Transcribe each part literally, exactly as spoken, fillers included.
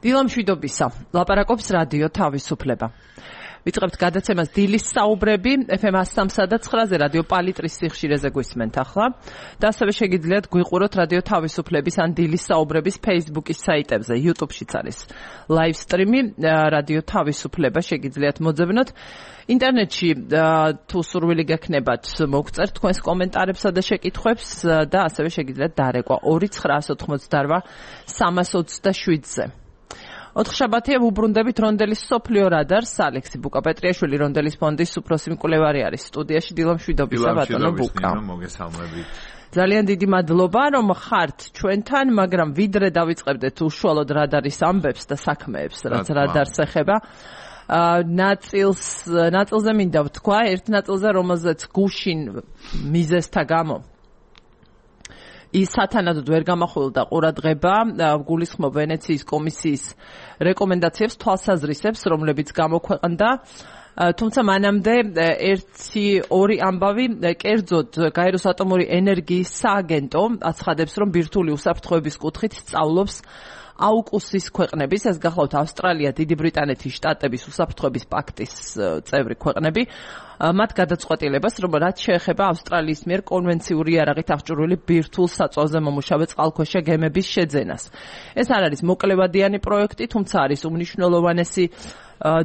დილამშვიდობისა, ლაპარაკობს რადიო თავისუფლება. ვიწყებთ გადაცემას დილის საუბრები ეფ ემ one oh three და nine-ზე რადიო პალიტრის სიხშირეზე გვისმენთ ახლა და ასევე შეგიძლიათ გვიყუროთ რადიო თავისუფლების ან დილის საუბრების Facebook-ის საიტებზე, YouTube-შიც არის live stream-ი რადიო თავისუფლება შეგიძლიათ მოძებნოთ. ინტერნეტში თუ სურვილი გექნებათ მოგწერთ თქვენს კომენტარებსა და შეკითხვებს და ასევე შეგიძლიათ დარეკვა two nine eight eight three two zero ზე. ოთხშაბათია ვუბრუნდებით რონდელის სოფლიო რადარს ალექსი ბუკაპეტრიაშვილი რონდელის ფონდის უფროსი მკვლევარი არის სტუდიაში დილამშვიდობისა ბატონო ბუკა. ძალიან დიდი მადლობა რომ ხართ ჩვენთან, მაგრამ ვიდრე დავიწყებდეთ უშუალოდ რადარის ამბებს და საქმეებს, რაც რადარს ეხება. ნაწილს ნაწილზე მინდა ვთქვა, ერთ ნაწილზე რომელზეც გუშინ მიზეზთა გამო ის სათანადოდ ვერ გამახვილდა ყურადღება, გულისხმობ ვენეციის კომისიის რეკომენდაციებს თვალსაზრისებს, რომლებიც გამოქვეყნდა, თუმცა მანამდე ერთი ორი ამბავი კერძოდ გაეროს ატომური ენერგიის სააგენტო აცხადებს, რომ ბირთვული უსაფრთხოების კუთხით სწავლობს აუკუსის ქვეყნების, ეს გახლავთ ავსტრალია, დიდი ბრიტანეთი, შტატების უსაფრთხოების პაქტის წევრი ქვეყნები, მათ გადაწყვეტილებას, რომ რაც შეეხება ავსტრალიის მიერ კონვენციური იარაღით აღჭურვილი ბირთვულ საწვავზე მომუშავე წყალქვეშა გემების შეძენას. ეს არ არის მოკლევადიანი პროექტი, თუმცა არის უმნიშვნელოვანესი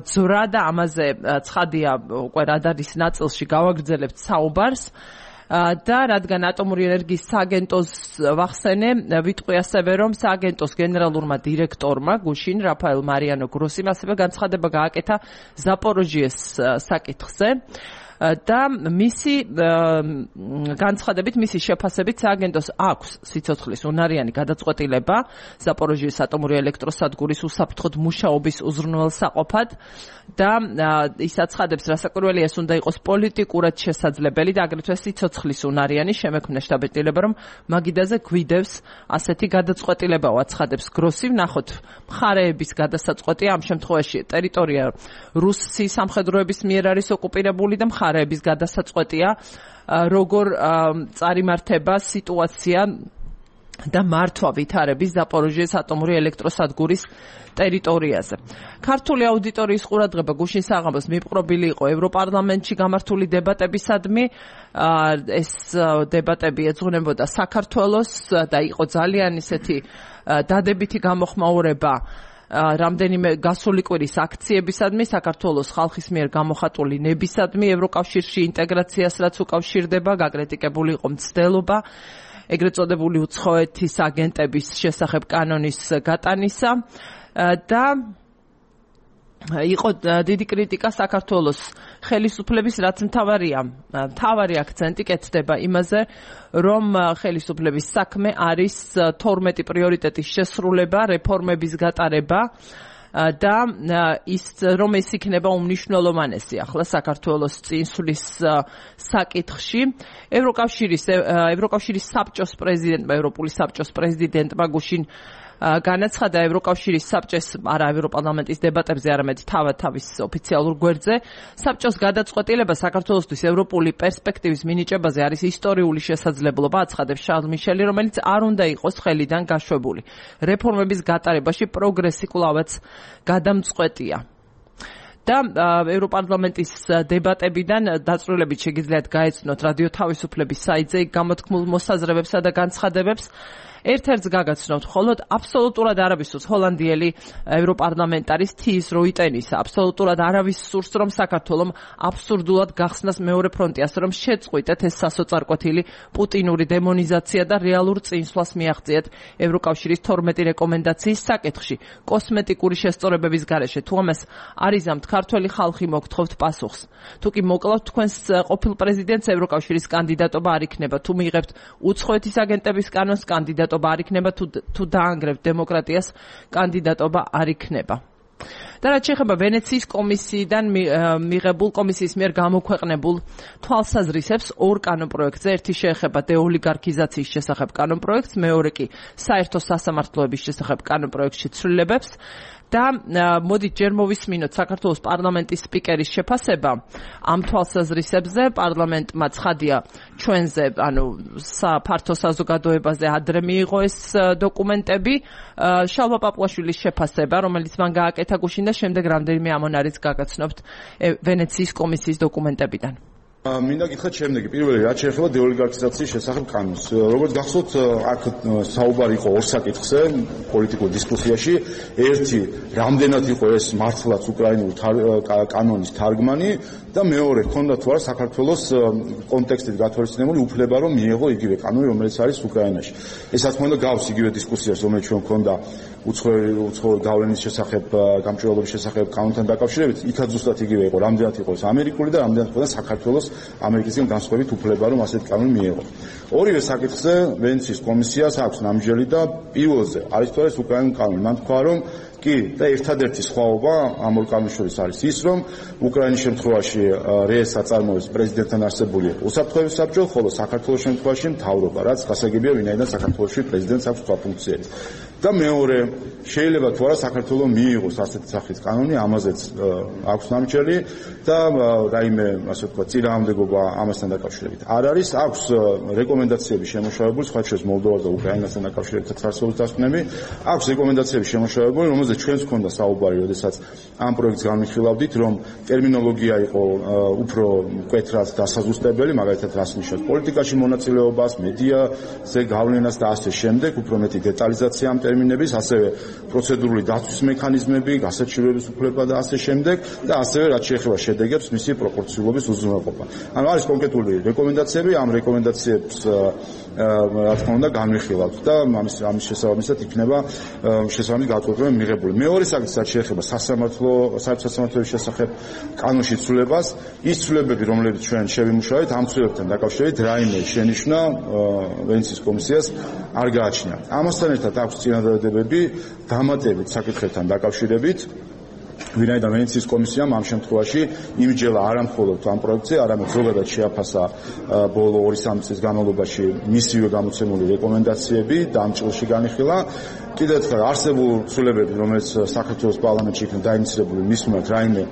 ძვრა და ამაზე ცხადია უკვე რადარის ნაწილში გავაგრძელებთ საუბარს. და რადგან ატომური ენერგიის სააგენტოს ვახსენე, ვიტყვი ასევე, რომ სააგენტოს გენერალურმა დირექტორმა გუშინ რაფაელ მარიანო გროსიმ ასევე განცხადება გააკეთა ზაპოროჟიეს საკითხზე და მისი განცხადებით, მისი შეფასებით სააგენტოს აქვს სიცოცხლის უნარიანი გადაწყვეტილება ზაპოროჟიეს ატომური ელექტროსადგურის უსაფრთხოდ მუშაობის უზრუნველსაყოფად და ის აცხადებს, რასაკვირველია, ეს უნდა იყოს პოლიტიკურად შესაძლებელი და აგრეთვე სიცოცხლის უნარიანი შემექმნა შტაბ-ბილება, რომ მაგიდაზე გვიდევს ასეთი გადაწყვეტილება, აცხადებს გროსი. ვნახოთ მხარეების გადასაწყვეტია, ამ შემთხვევაში ტერიტორია რუსეთის სამხედროების მიერ არის ოკუპირებული და მხარეების გადასაწყვეტია, როგორ წარიმართება სიტუაცია და მართვა ვითარების ზაპოროჟიეს ატომური ელექტროსადგურის ტერიტორიაზე. ქართული აუდიტორიის ყურადღება გუშინ საღამოს მიპყრობილი იყო ევროპარლამენტში გამართული დებატებისადმი. ეს დებატები ეძღვნებოდა საქართველოს და იყო ძალიან ისეთი დადებითი გამოხმაურება რამდენიმე გასული კვირის აქციებისადმი, საქართველოს ხალხის მიერ გამოხატული ნებისადმი ევროკავშირში ინტეგრაციას, რაც უკავშირდება, გაკრიტიკებული იყო მცდელობა ეგრეთ წოდებული უცხოეთის აგენტების შესახებ კანონის გატანისა და იყო დიდი კრიტიკა საქართველოს ხელისუფლების, რაც მთავარია, მთავარი აქცენტი კეთდება იმაზე, რომ ხელისუფლების საქმე არის თორმეტი პრიორიტეტის შესრულება, რეფორმების გატარება და ის რომ ეს იქნება უმნიშვნელოვანესი ახლა საქართველოს წინსვლის საკითხში. ევროკავშირის ევროკავშირის საბჭოს პრეზიდენტმა, ევროპული საბჭოს პრეზიდენტმა გუშინ განაცხადა ევროკავშირის საბჭოს, არა ევროპარლამენტის დებატებზე, არამედ თავად თავის ოფიციალურ გვერდზე, საბჭოს გადაწყვეტილება საქართველოსთვის ევროპული პერსპექტივის მინიჭებაზე არის ისტორიული შესაძლებლობა, აცხადებს შარლ მიშელი, რომელიც არ უნდა იყოს ხელიდან გაშვებული. რეფორმების გატარებაში პროგრესი კვლავაც გადამწყვეტია. და ევროპარლამენტის დებატებიდან დაწვრილებით შეგიძლიათ გაეცნოთ რადიო თავისუფლების საიტზე გამოთქმულ მოსაზრებებსა და განცხადებებს. ერთ-ერთს გაგაცნობთ, მხოლოდ აბსოლუტურად არავის სურს ჰოლანდიელი ევროპარლამენტარის თიის როიტენის, აბსოლუტურად არავის სურს, რომ საქართველოს აბსურდულად გახსნას მეორე ფრონტი, ასე რომ შეწყვიტეთ ეს სასოწარკვეთილი პუტინური დემონიზაცია და რეალურ წინსვლას მიაღწიეთ ევროკავშირის თორმეტი რეკომენდაციის საკითხში. კოსმეტიკური შესწორებების გარეშე თუ ამას არიზამთ ქართველი ხალხი მოგთხოვთ პასუხს. თუ კი მოკლავთ თქვენს ყოფილ პრეზიდენტს, ევროკავშირის კანდიდატობა არ იქნება. თუ მიიღებთ უცხოეთის აგენტების კანონს, კანდიდატობა არ იქნება, თუ თუ დაანგრევთ დემოკრატიას, კანდიდატობა არ იქნება. და რაც შეეხება ვენეციის კომისიიდან მიღებულ კომისიის მიერ გამოქვეყნებულ თვალსაზრისებს ორ კანონპროექტზე, ერთი შეეხება დეოლიგარქიზაციის შესახებ კანონპროექტს, მეორე კი საერთო სასამართლოების შესახებ კანონპროექტში ცვლილებებს. და მოდით ჯერ მოვისმინოთ საქართველოს პარლამენტის სპიკერის შეფასება ამ თვალსაზრისებზე. პარლამენტმა ცხადია ჩვენზე, ანუ ფართო საზოგადოებაზე ადრე მიიღო ეს დოკუმენტები. შალვა პაპუაშვილის შეფასება, რომელიც მან გააკეთა გუშინ და შემდეგ რამდენიმე ამონარიც გაგაცნობთ ვენეციის კომისიის დოკუმენტებიდან. მინდა გითხრათ შემდეგი. პირველი, რაც შეეხება დეოლიგარქიზაციის შესახებ კანონს. როგორც გახსოვთ, აქ საუბარი იყო ორ საკითხზე პოლიტიკურ დისკუსიაში. ერთი, რამდენად იყო ეს მართლაც უკრაინული კანონის თარგმანი და მეორე, ჰქონდა თუ არა საქართველოს კონტექსტით გათვალისწინებული უფლება, რომ მიეღო იგივე კანონი, რომელიც არის უკრაინაში. ესაც მოინდა გავს იგივე დისკუსიას, რომელიც ჩვენ ჰქონდა უცხოური უცხოური გავლენის შესახებ, გამჭვირვალობის შესახებ კანონთან დაკავშირებით. იქაც ზუსტად იგივე იყო, რამდენად იყო ეს ამერიკული და რამდენად იყო საქართველოს ამერიკისგან განსხვავებით უფლება, რომ ასეთი კანონი მიეღო. ორივე საკითხზე ვენეციის კომისიას აქვს ნამჯერი და პირველზე არის თუ არა ეს უკრაინული კანონი. მან თქვა, რომ კი და ერთადერთი სხვაობა ამ ორ კანონის შორის არის ის, რომ უკრაინის შემთხვევაში რეეს აწარმოებს პრეზიდენტთან არსებული უსაფრთხოების საბჭო, ხოლო საქართველოს შემთხვევაში მთავრობა, რაც გასაგებია, ვინაიდან საქართველოში პრეზიდენტს აქვს სხვა ფუნქციები. და მეორე, შეიძლება თუ არა საქართველოს მიიღოს ასეთი სახის კანონი, ამაზეც აქვს ნამჯერი და რაიმე, ასე ვთქვათ, წინააღმდეგობა ამასთან დაკავშირებით არ არის. აქვს რეკომენდაციები შემოშალებული, სხვა შორის მოლდოვას და უკრაინასთან დაკავშირებით არსებობს დასკვნები. აქვს რეკომენდაციები შემოშალებული, რომელზეც ჩვენს ქონდა საუბარი, როდესაც ამ პროექტს განვიხილავდით, რომ ტერმინოლოგია იყო უფრო მკვეთრად დასაზუსტებელი, მაგალითად რას ნიშნავს პოლიტიკაში მონაწილეობას, მედიაზე გავლენას და ასე შემდეგ, უფრო მეტი დეტალიზაცია ამ ტერმინების, ასევე პროცედურული დაცვის მექანიზმები, გასაჩივრების უფლება და ასე შემდეგ და ასევე რაც შეეხება შედეგებს, მისი პროპორციულობის უზრუნველყოფა. ანუ არის კონკრეტული რეკომენდაციები, ამ რეკომენდაციებს რა თქმა უნდა განვიხილავთ და ამის ამის შესაბამისად იქნება შესაბამისი გაწყვეტილება მიღებული. მეორე საკითხი რაც შეეხება სასამართლო საერთო სასამართლოების შესახებ კანონში ცვლილებას, ის ცვლილებები, რომლებიც ჩვენ შევიმუშავეთ, ამ ცვლილებებთან დაკავშირებით რაიმე შენიშვნა ვენეციის კომისიას არ გააჩნია. ამასთან ერთად აქვს წინადადებები დამატებით საკითხებთან დაკავშირებით, ვინაიდან ვენეციის კომისიამ ამ შემთხვევაში იმჯერა არა მხოლოდ ამ პროექტზე, არამედ ზოგადად შეაფასა ბოლო ორი სამი წლის განმავლობაში მისივე გამოცემული რეკომენდაციები და ამ ჭრილში განიხილა. კიდევ ერთხელ არსებულ ცვლილებები, რომელიც საქართველოს პარლამენტში იქნა დაინიცირებული, მის მიმართ რაიმე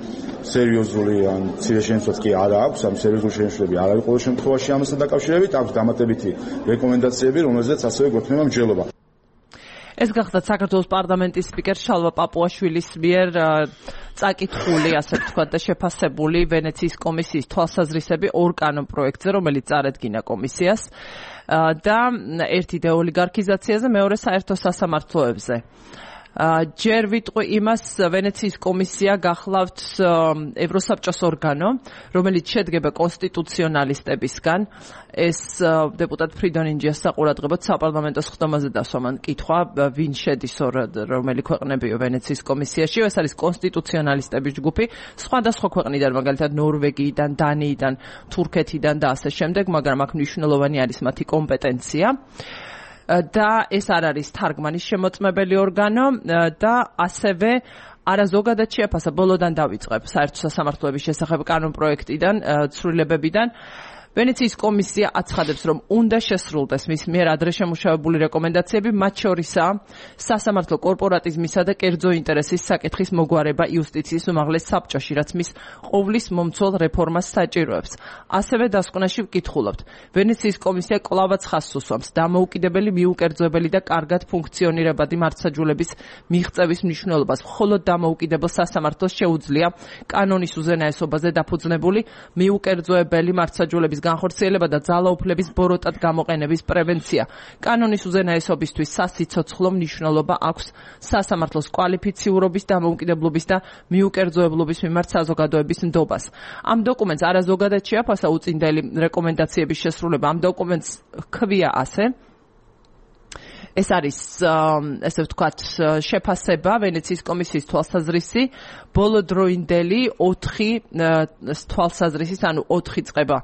სერიოზული ან მცირე შენიშვნაც კი არა აქვს, ამ სერიოზული შენიშვნები არ არის ყოველ შემთხვევაში ამასთან დაკავშირებით, აქვს დამატებითი რეკომენდაციები, რომელზეც ასევე გვექნება მსჯელობა. ეს გახლავთ საქართველოს პარლამენტის სპიკერ შალვა პაპუაშვილის მიერ წაკითხული, ასე ვთქვათ, და შეფასებული ვენეციის კომისიის თვალსაზრისები ორ კანონ პროექტზე, რომელიც წარადგინა კომისიას და ერთი დეოლიგარქიზაციაზე, მეორე საერთო სასამართლოებზე. ჯერ ვიტყვი იმას, ვენეციის კომისია გახლავთ ევროსაბჭოს ორგანო, რომელიც შედგება კონსტიტუციონალისტებისგან. ეს დეპუტატ ფრიდონ ინჯიას საყურადღებოდ საპარლამენტო სხდომაზე დასვა მან კითხვა, ვინ შედის რომელი ქვეყნებიო ვენეციის კომისიაში. ეს არის კონსტიტუციონალისტების ჯგუფი, სხვადასხვა ქვეყნიდან, მაგალითად ნორვეგიიდან, დანიიდან, თურქეთიდან და ასე შემდეგ, მაგრამ აქ მნიშვნელოვანი არის მათი კომპეტენცია. და ეს არ არის თარგმანის შემოწმებელი ორგანო და ასევე არა ზოგადად შეაფასა, ბოლოდან დავიწყებ საერთო სასამართლოების შესახებ კანონ პროექტიდან, ცვლილებებიდან. ვენეციის კომისია აცხადებს, რომ უნდა შესრულდეს მის მიერ ადრე შემუშავებული რეკომენდაციები, მათ შორისაა სასამართლო კორპორატიზმისა და კერძო ინტერესის საკითხის მოგვარება იუსტიციის უმაღლეს საბჭოში, რაც მის ყოვლის მომცველ რეფორმას საჭიროებს. ასევე დასკვნაში ვკითხულობთ, ვენეციის კომისია კვლავაც ხაზს უსვამს დამოუკიდებელი, მიუკერძოებელი და კარგად ფუნქციონირებადი მართლმსაჯულების მიღწევის მნიშვნელობას. მხოლოდ დამოუკიდებელ სასამართლოს შეუძლია კანონის უზენაესობაზე დაფუძნებული მიუკერძოებელი მართლმსაჯულების განხორციელება და ძალაუფლების ბოროტად გამოყენების პრევენცია. კანონის უზენაესობისთვის სასიცოცხლო მნიშვნელობა აქვს სასამართლოს კვალიფიციურობის, დამოუკიდებლობის და მიუკერძოებლობის მიმართ საზოგადოების ნდობას. ამ დოკუმენტს არა ზოგადად შეაფასა უწინდელი რეკომენდაციების შესრულება. ამ დოკუმენტს ჰქვია ასე. ეს არის, ესე ვთქვათ, შეფასება ვენეციის კომისიის თვალსაზრისი ბოლოდროინდელი ოთხი თვალსაზრისის, ანუ ოთხი წება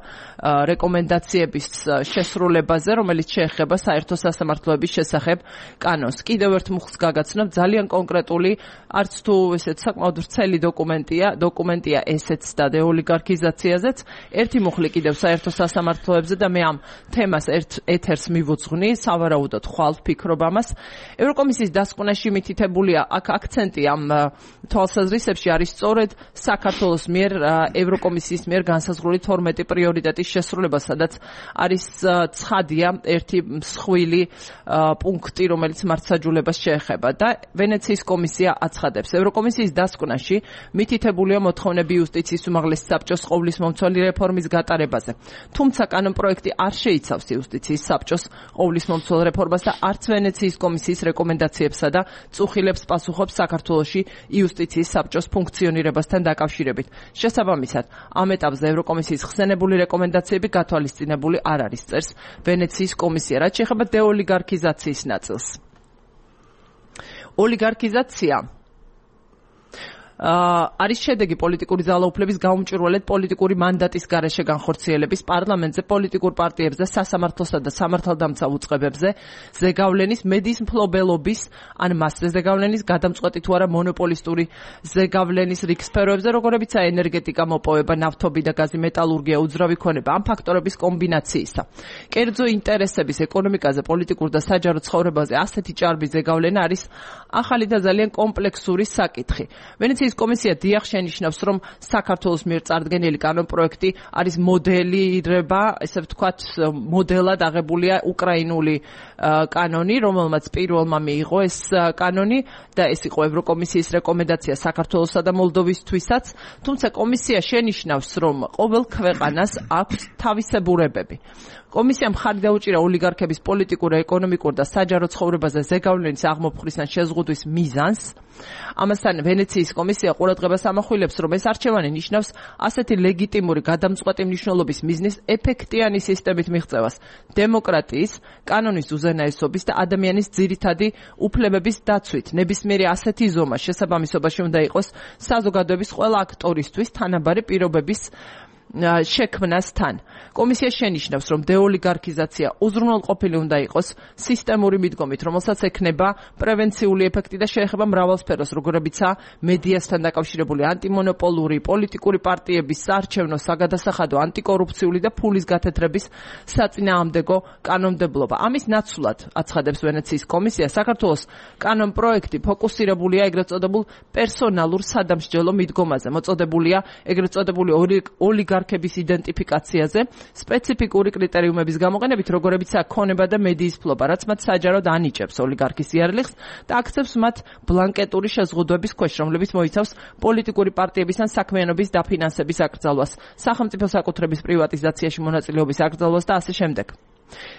რეკომენდაციების შესრულებაზე, რომელიც შეეხება საერთო სასამართლოების შესახებ კანონს. კიდევ ერთ მუხლს გაგაცნობ, ძალიან კონკრეტული, არც თუ ესეც საკმაოდ ვრცელი დოკუმენტია, დოკუმენტია ესეც და დეოლიგარქიზაციაზეც. ერთი მუხლი კიდევ საერთო სასამართლოებზე და მე ამ თემას ერთ ეთერს მივუძღვნი, სავარაუდოდ ხვალ ვფიქრობ ამას. ევროკომისიის დასკვნაში მითითებულია აქ აქცენტი ამ თვალსაზრისებში არის სწორედ საქართველოს მიერ ევროკომისიის მიერ განსაზღვრული თორმეტი პრიორიტეტის შესრულება, სადაც არის ცხადია ერთი მსხვილი პუნქტი, რომელიც მართლმსაჯულებას შეეხება და ვენეციის კომისია აცხადებს. ევროკომისიის დასკვნაში მითითებულია მოთხოვნები იუსტიციის უმაღლესი საბჭოს ყოვლისმომცველი რეფორმის გატარებაზე. თუმცა კანონპროექტი არ შეიცავს იუსტიციის საბჭოს ყოვლისმომცველ რეფორმას და არც ვენეციის კომისიის რეკომენდაციებსა და წუხილებს პასუხობს საქართველოში იუსტიციის საბჭოს ფუნქციონირებასთან დაკავშირებით. შესაბამისად, ამ ეტაპზე ევროკომისიის ხსენებული რეკომენდაციები გათვალისწინებული არ არის, წერს ვენეციის კომისია. რაც შეეხება დეოლიგარქიზაციის ნაწილს. ოლიგარქიზაცია არის შედეგი პოლიტიკური ძალაუფლების გაუმჭირვალედ პოლიტიკური მანდატის გარეშე განხორციელების, პარლამენტზე, პოლიტიკურ პარტიებზე, სასამართლოსა და სამართალდამცავ უწყებებზე ზეგავლენის, მედიის მფლობელობის, ან მასზე ზეგავლენის, გადამწყვეტი თუ არა მონოპოლისტური ზეგავლენის რიგ სფეროებზე, როგორებიცაა ენერგეტიკა, მოპოვება, ნავთობი და გაზი, მეტალურგია, უძრავი ქონება, ამ ფაქტორების კომბინაციისა. კერძო ინტერესების ეკონომიკაზე, პოლიტიკურ და საჯარო ცხოვრებაზე ასეთი ჭარბი ზეგავლენა არის ახალი და ძალიან კომპლექსური საკითხი. ვენეციის კომისია დიახ შენიშნავს, რომ საქართველოს მიერ წარდგენილი კანონპროექტი არის მოდელირება, ესე ვთქვათ, მოდელად აღებულია უკრაინული კანონი, რომელმაც პირველმა მიიღო ეს კანონი და ეს იყო ევროკომისიის რეკომენდაცია საქართველოსა და მოლდოვისთვისაც, თუმცა კომისია შენიშნავს, რომ ყოველ ქვეყანას აქვს თავისებურებები. კომისიამ ხარი დაუჭირა ოლიგარქების პოლიტიკურ, ეკონომიკურ და საჯარო ცხოვრებაზე ზეგავლენის აღმოფხვრისა ან შეზღუდვის მიზანს. ამასთან ვენეციის კომისია ყურადღებას ამახვილებს, რომ ეს არჩევანი ნიშნავს ასეთი ლეგიტიმური გადამწყვეტი მნიშვნელობის მიზნის ეფექტიანი სისტემით მიღწევას, დემოკრატიის, კანონის უზენაესობის და ადამიანის ძირითადი უფლებების დაცვით. ნებისმიერი ასეთი ზომა შესაბამისობაში უნდა იყოს საზოგადოების ყველა აქტორისთვის თანაბარი პირობების შექმნასთან. კომისია შენიშნავს, რომ დეოლიგარქიზაცია უზრუნველყოფილი უნდა იყოს სისტემური მიდგომით, რომელსაც ექნება პრევენციული ეფექტი და შეეხება მრავალ სფეროს, როგორებიცაა მედიასთან დაკავშირებული ანტიმონოპოლური, პოლიტიკური პარტიების, საარჩევნო, საგადასახადო, ანტიკორუფციული და ფულის გათეთრების საწინააღმდეგო კანონმდებლობა. ამის ნაცვლად, აცხადებს ვენეციის კომისია, საქართველოს კანონპროექტი ფოკუსირებულია ეგრეთ წოდებულ პერსონალურ სადამსჯელო მიდგომაზე, მოწოდებულია ეგრეთ წოდებული ოლიგარქების იდენტიფიკაციაზე, სპეციფიკური კრიტერიუმების გამოყენებით, როგორებიცაა ქონება და მედიის ფლობა, რაც მათ საჯაროდ ანიჭებს ოლიგარქის იარლიხს და აქცევს მათ ბლანკეტური შეზღუდვების ქვეშ, რომლებიც მოიცავს პოლიტიკური პარტიების ან საქმიანობის დაფინანსების აკრძალვას, სახელმწიფო საკუთრების პრივატიზაციაში მონაწილეობის აკრძალვას და ასე შემდეგ.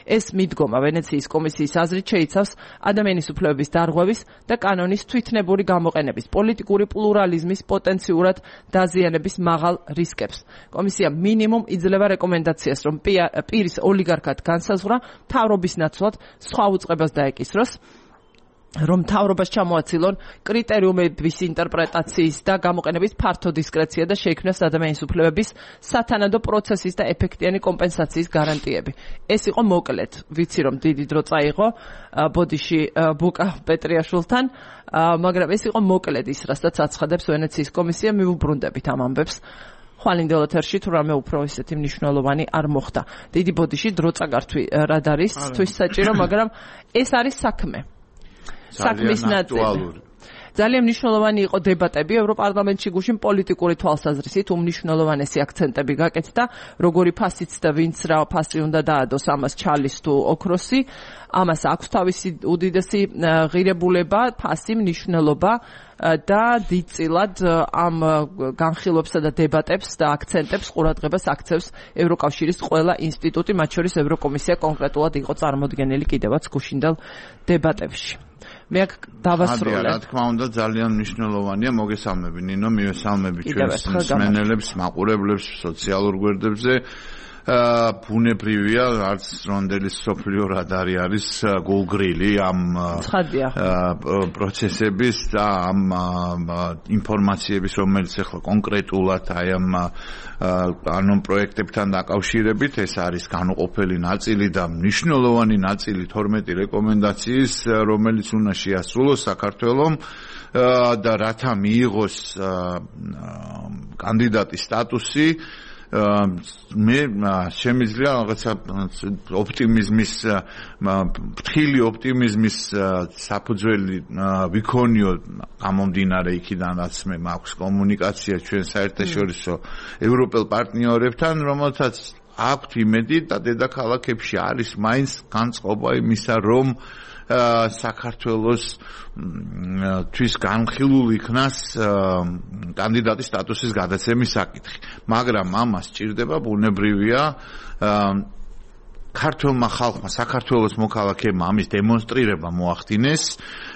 ეს მიდგომა ვენეციის კომისიის აზრით შეიცავს ადამიანის უფლებების დარღვევის და კანონის თვითნებური გამოყენების, პოლიტიკური პლურალიზმის პოტენციურად დაზიანების მაღალ რისკებს. კომისია მინიმუმ იძლევა რეკომენდაციას, რომ პირის ოლიგარქად განსაზღვრა მთავრობის ნაცვლად სხვა უწყებას დაეკისროს, რომ მთავრობას ჩამოაცილონ კრიტერიუმების ინტერპრეტაციის და გამოყენების ფართო დისკრეცია და შეიქმნას ადამიანის უფლებების სათანადო პროცესის და ეფექტიანი კომპენსაციის გარანტიები. ეს იყო მოკლედ, ვიცი რომ დიდი დრო წაიღო ბოდიში ბუკა პეტრიაშვილთან, მაგრამ ეს იყო მოკლედ ის, რასაც აცხადებს ვენეციის კომისია, მივუბრუნდებით ამ ამბებს. ხვალინდელ ეთერში თუ რამე უფრო ისეთი მნიშვნელოვანი არ მოხდა. დიდი ბოდიში დრო წაგართვი რად არის თვის საჭირო, მაგრამ ეს არის საქმე. საქმის ნაწილი. ძალიან მნიშვნელოვანი იყო დებატები ევროპარლამენტში გუშინ პოლიტიკური თვალსაზრისით, უმნიშვნელოვანესი აქცენტები გაკეთდა, როგორი ფასიც და ვინც რა ფასი უნდა დაადოს ამას ჩალის თუ ოქროსი, ამას აქვს თავისი უდიდესი ღირებულება, ფასი, მნიშვნელობა და დიდწილად ამ განხილვებსა და დებატებს და აქცენტებს ყურადღებას აქცევს ევროკავშირის ყველა ინსტიტუტი, მათ შორის ევროკომისია კონკრეტულად იყო წარმოდგენილი კიდევაც გუშინდელ დებატებში. მე აქ დავასრულე. რა თქმა უნდა ძალიან მნიშვნელოვანია, მოგესალმები ნინო, მივესალმები ჩვენს მსმენელებს, მაყურებლებს სოციალურ გვერდებზე. ბუნებრივია, არც რონდელი სოფლიო რადარი არის გულგრილი ამ პროცესების და ამ ინფორმაციების, რომელიც ახლა კონკრეტულად აი ამ ანუ პროექტებთან დაკავშირებით, ეს არის განუყოფელი ნაწილი და მნიშვნელოვანი ნაწილი თორმეტი რეკომენდაციის, რომელიც უნდა შეასრულოს საქართველომ და რათა მიიღოს კანდიდატის სტატუსი. მე შემიძლია რაღაცა ოპტიმიზმის ფრთხილი ოპტიმიზმის საფუძველი ვიქონიო გამომდინარე იქიდან რაც მე მაქვს კომუნიკაცია ჩვენ საერთაშორისო ევროპელ პარტნიორებთან რომელთაც აქვთ იმედი და დედაქალაქებში არის მაინც განწყობა იმისა რომ საქართველოს თვის განხილულ იქნას კანდიდატის სტატუსის გადაცემის საკითხი. მაგრამ ამას სჭირდება ბუნებრივია ქართულმა ხალხმა, საქართველოს მოქალაქეებმა ამის დემონსტრირება მოახდინეს,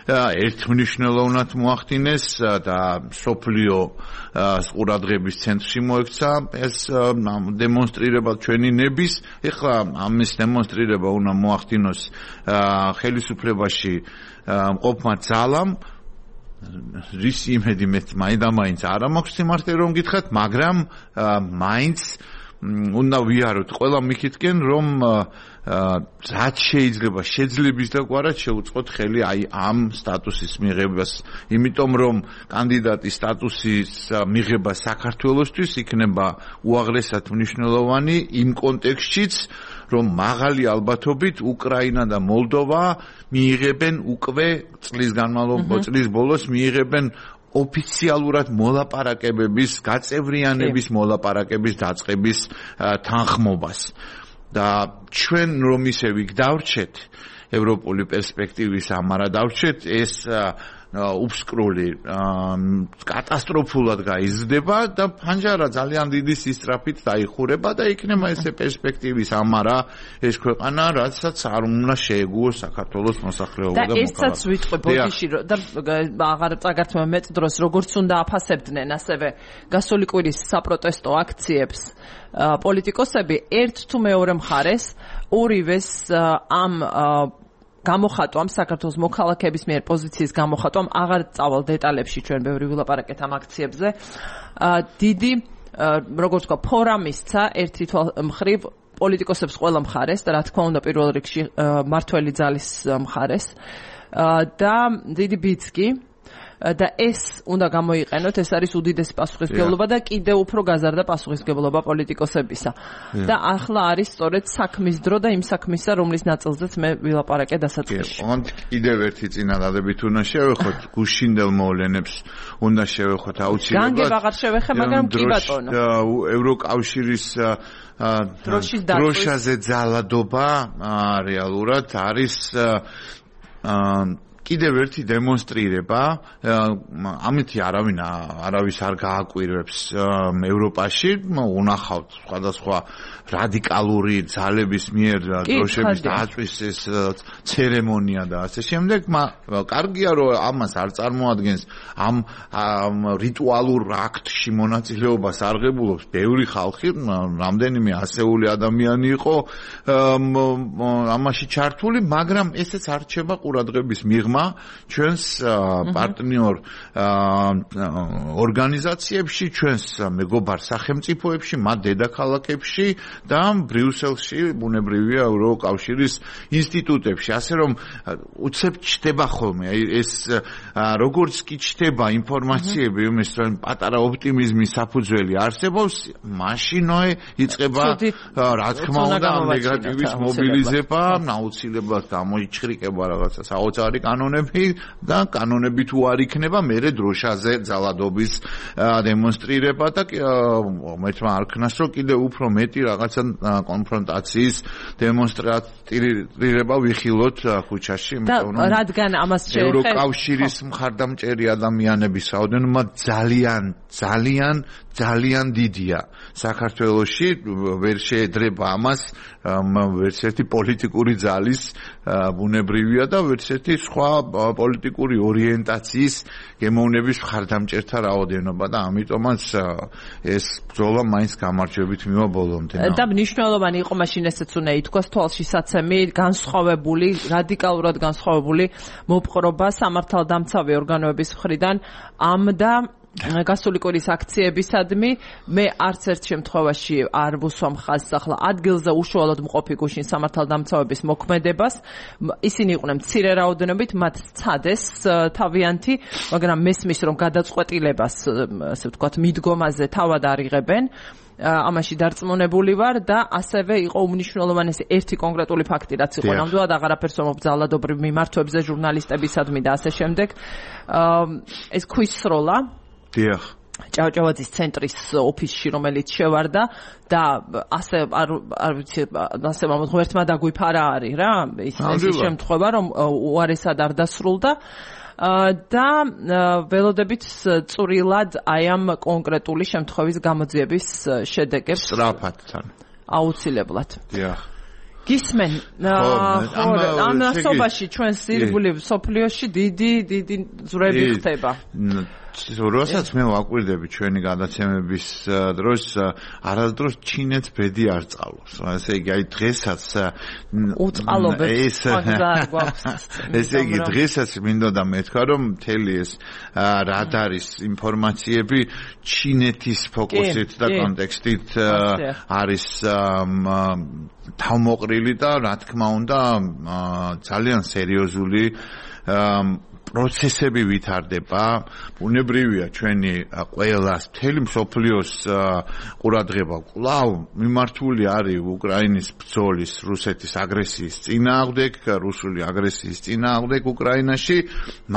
ერთმნიშვნელოვნად მოახდინეს და სოფლიო ყურადღების ცენტრში მოექცა ეს დემონსტრირება ჩვენი ნების. ეხლა ამის დემონსტრირება უნდა მოახდინოს ხელისუფლებაში მყოფმა ძალამ, რის იმედი მე მაინც არა მაქვს სიმართლე რომ გითხრათ, მაგრამ მაინც უნდა ვიაროთ ყველა მიქითკენ რომ რაც შეიძლება შეძლების დაგვარად შეუწყოთ ხელი აი ამ სტატუსის მიღებას, იმიტომ რომ კანდიდატის სტატუსის მიღება საქართველოსთვის იქნება უაღრესად მნიშვნელოვანი იმ კონტექსტშიც, რომ მაღალი ალბათობით უკრაინა და მოლდოვა მიიღებენ უკვე წლის განმავლობაში, წლის ბოლოს მიიღებენ ოფიციალურად მოლაპარაკებების, გაწევრიანების მოლაპარაკების დაწყების თანხმობას. და ჩვენ რომ ისე ვიგდავრჩეთ ევროპული პერსპექტივის ამარა დავრჩეთ, ეს უბსკრული კატასტროფულად გაიზრდება და ფანჯარა ძალიან დიდი სისწრაფით დაიხურება და იქნება ესე პერსპექტივის ამარა ეს ქვეყანა, რაცაც არ უნდა შეეგუოს საქართველოს მოსახლეობა და მოქალაქე. და ესაც ვიტყვი ბოდიში და აღარ წაგართმა მეტ დროს როგორც უნდა აფასებდნენ ასევე გასული კვირის საპროტესტო აქციებს პოლიტიკოსები ერთ თუ მეორე მხარეს ორივეს ამ გამოხატვამ საქართველოს მოქალაქეების მიერ პოზიციის გამოხატვამ აღარ წავალ დეტალებში ჩვენ ბევრი ვილაპარაკეთ ამ აქციებზე. დიდი როგორც ვთქვა ფორა მისცა ერთი მხრივ პოლიტიკოსებს ყველა მხარეს და რა თქმა უნდა პირველ რიგში მართველი ძალის მხარეს და დიდი ბიც კი და ეს უნდა გამოიყენოთ, ეს არის უდიდესი პასუხისმგებლობა და კიდევ უფრო გაზარდა პასუხისმგებლობა პოლიტიკოსებისა. და ახლა არის სწორედ საქმის დრო და იმ საქმისა, რომლის ნაწილზეც მე ვილაპარაკე დასაწყისში. ოღონდ კიდევ ერთი წინადადებით უნდა შევეხოთ, გუშინდელ მოვლენებს უნდა შევეხოთ აუცილებლად. განგებ აღარ შევეხე, მაგრამ კი ბატონო. ევროკავშირის დროშაზე ძალადობა რეალურად არის კიდევ ერთი დემონსტრირება, ამითი არავინ არავის არ გააკვირვებს ევროპაში, უნახავთ სხვადასხვა რადიკალური ძალების მიერ დროშების დაწვის ეს ცერემონია და ასე შემდეგ, კარგია რომ ამას არ წარმოადგენს ამ რიტუალურ აქტში მონაწილეობას არღებულობს ბევრი ხალხი, რამდენიმე ასეული ადამიანი იყო ამაში ჩართული, მაგრამ ესეც არ რჩება ყურადღების მიღმა ჩვენს პარტნიორ ორგანიზაციებში, ჩვენს მეგობარ სახელმწიფოებში, მათ დედაქალაქებში და ბრიუსელში, ბუნებრივია ევროკავშირის ინსტიტუტებში, ასე რომ უცებ ჩდება ხოლმე ეს როგორც კი ჩდება ინფორმაციები იმის რომ პატარა ოპტიმიზმის საფუძველი არსებობს, მაშინვე იწყება რა თქმა უნდა ნეგატივის მობილიზება, აუცილებლად გამოიჩხრიკება რაღაცა საოცარი კანონები და კანონები თუ არ იქნება, მერე დროშაზე ძალადობის დემონსტრირება და მეთმა არ ქნას რომ კიდევ უფრო მეტი რაღაცა კონფრონტაციის დემონსტრირება ვიხილოთ ქუჩაში, იმიტომ რომ რადგან ამას შეეხება ევროკავშირის მხარდამჭერი ადამიანების რაოდენობა ძალიან ძალიან ძალიან დიდია საქართველოში ვერ შეედრება ამას ვერც ერთი პოლიტიკური ძალის ბუნებრივია და ვერც ერთი სხვა პოლიტიკური ორიენტაციის გემოვნების მხარდამჭერთა რაოდენობა და ამიტომაც ეს ბრძოლა მაინც გამარჯვებით მივა ბოლომდე. და მნიშვნელოვანი იყო მაშინ ესეც უნდა ითქვას თვალშისაცემი განსხვავებული რადიკალურად განსხვავებული მოპყრობა სამართალდამცავი ორგანოების მხრიდან ამ და გასული კვირის აქციებისადმი მე არც ერთ შემთხვევაში არ ვუსვამ ხაზს ახლა ადგილზე უშუალოდ მყოფი გუშინ სამართალდამცავების მოქმედებას ისინი იყვნენ მცირე რაოდენობით მათ სცადეს თავიანთი მაგრამ მესმის რომ გადაწყვეტილებას ასე ვთქვათ მიდგომაზე თავად არ იღებენ ამაში დარწმუნებული ვარ და ასევე იყო უმნიშვნელოვანესი ერთი კონკრეტული ფაქტი რაც იყო ნამდვილად აღარაფერს მომბრძალადობრივ მიმართვებზე ჟურნალისტებისადმი და ასე შემდეგ ეს ქვისროლა დიახ ჭავჭავაძის ცენტრის ოფისში რომელიც შევარდა და ასე არ არ ვიცი ასე მომთ ღმერთმა დაგვიფარა არის რა ის ის შემთხვევა რომ უარესად არ დასრულდა და ველოდებით წვრილად აი ამ კონკრეტული შემთხვევის გამოძიების შედეგებს სწრაფადთან აუცილებლად დიახ გისმენ ამ ასობაში ჩვენს ირგვლივ სოფლიოში დიდი დიდი ძვრები ხდება როდესაც მე ვაკვირდები ჩვენი გადაცემების დროს არასდროს ჩინეთს ბედი არ წალობს. ესე იგი აი დღესაც უწყალობებს ესე იგი დღესაც მინდოდა მეთქვა რომ მთელი ეს რადარის ინფორმაციები ჩინეთის ფოკუსით და კონტექსტით არის თავმოყრილი და რა თქმა უნდა ძალიან სერიოზული პროცესები ვითარდება, ბუნებრივია ჩვენი ყველას მთელი მსოფლიოს ყურადღება კვლავ მიმართული არის უკრაინის ბრძოლის, რუსეთის აგრესიის წინააღმდეგ, რუსული აგრესიის წინააღმდეგ უკრაინაში,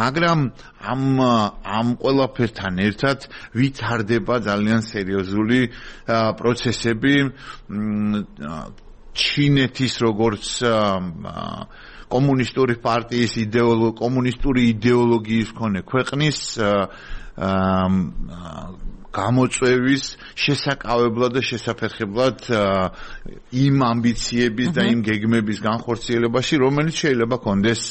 მაგრამ ამ ამ ყველაფერთან ერთად ვითარდება ძალიან სერიოზული პროცესები ჩინეთის როგორც კომუნისტური პარტიის იდეოლოგი კომუნისტური იდეოლოგიის მქონე ქვეყნის გამოწვევის შესაკავებლად და შესაფერხებლად იმ ამბიციების და იმ გეგმების განხორციელებაში, რომელიც შეიძლება კონდეს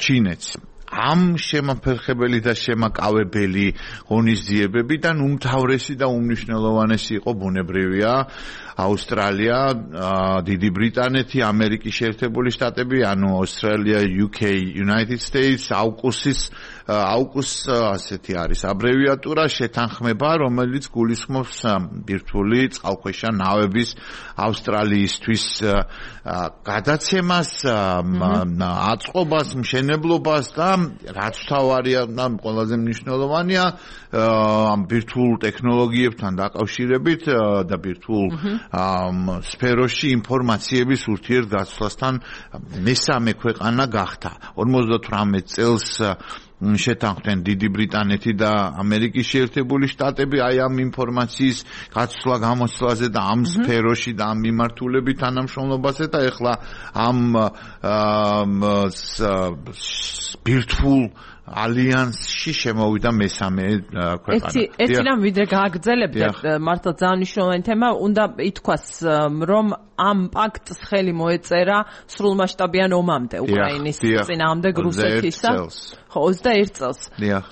ჩინეთს. ამ შემაფერხებელი და შემაკავებელი ღონისძიებებიდან უმთავრესი და უმნიშვნელოვანესი იყო ბუნებრივია ავსტრალია, დიდი ბრიტანეთი, ამერიკის შეერთებული შტატები, ანუ ავსტრალია, იუ კეი, United States, აუკუსის აუკუს ასეთი არის აბრევიატურა შეთანხმება, რომელიც გულისხმობს ბირთვული წყალქვეშა ნავების ავსტრალიისთვის გადაცემას, აწყობას, მშენებლობას და რაც თავარია და ყველაზე მნიშვნელოვანია ამ ბირთვულ ტექნოლოგიებთან დაკავშირებით და ბირთვულ სფეროში ინფორმაციების ურთიერთგაცვლასთან მესამე ქვეყანა გახდა. ორმოცდათვრამეტ წელს შეთანხმდნენ დიდი ბრიტანეთი და ამერიკის შეერთებული შტატები აი ამ ინფორმაციის გაცვლა გამოცვლაზე და ამ სფეროში და ამ მიმართულებით თანამშრომლობაზე და ეხლა ამ ბირთვულ ალიანსში შემოვიდა მესამე ქვეყანა. ერთი ერთი რამ ვიდრე გააგრძელებდეთ, მართლა ძალიან მნიშვნელოვანი თემა, უნდა ითქვას, რომ ამ პაქტს ხელი მოეწერა სრულმასშტაბიან ომამდე უკრაინის წინააღმდეგ რუსეთისა. ხო, ოცდაერთ წელს.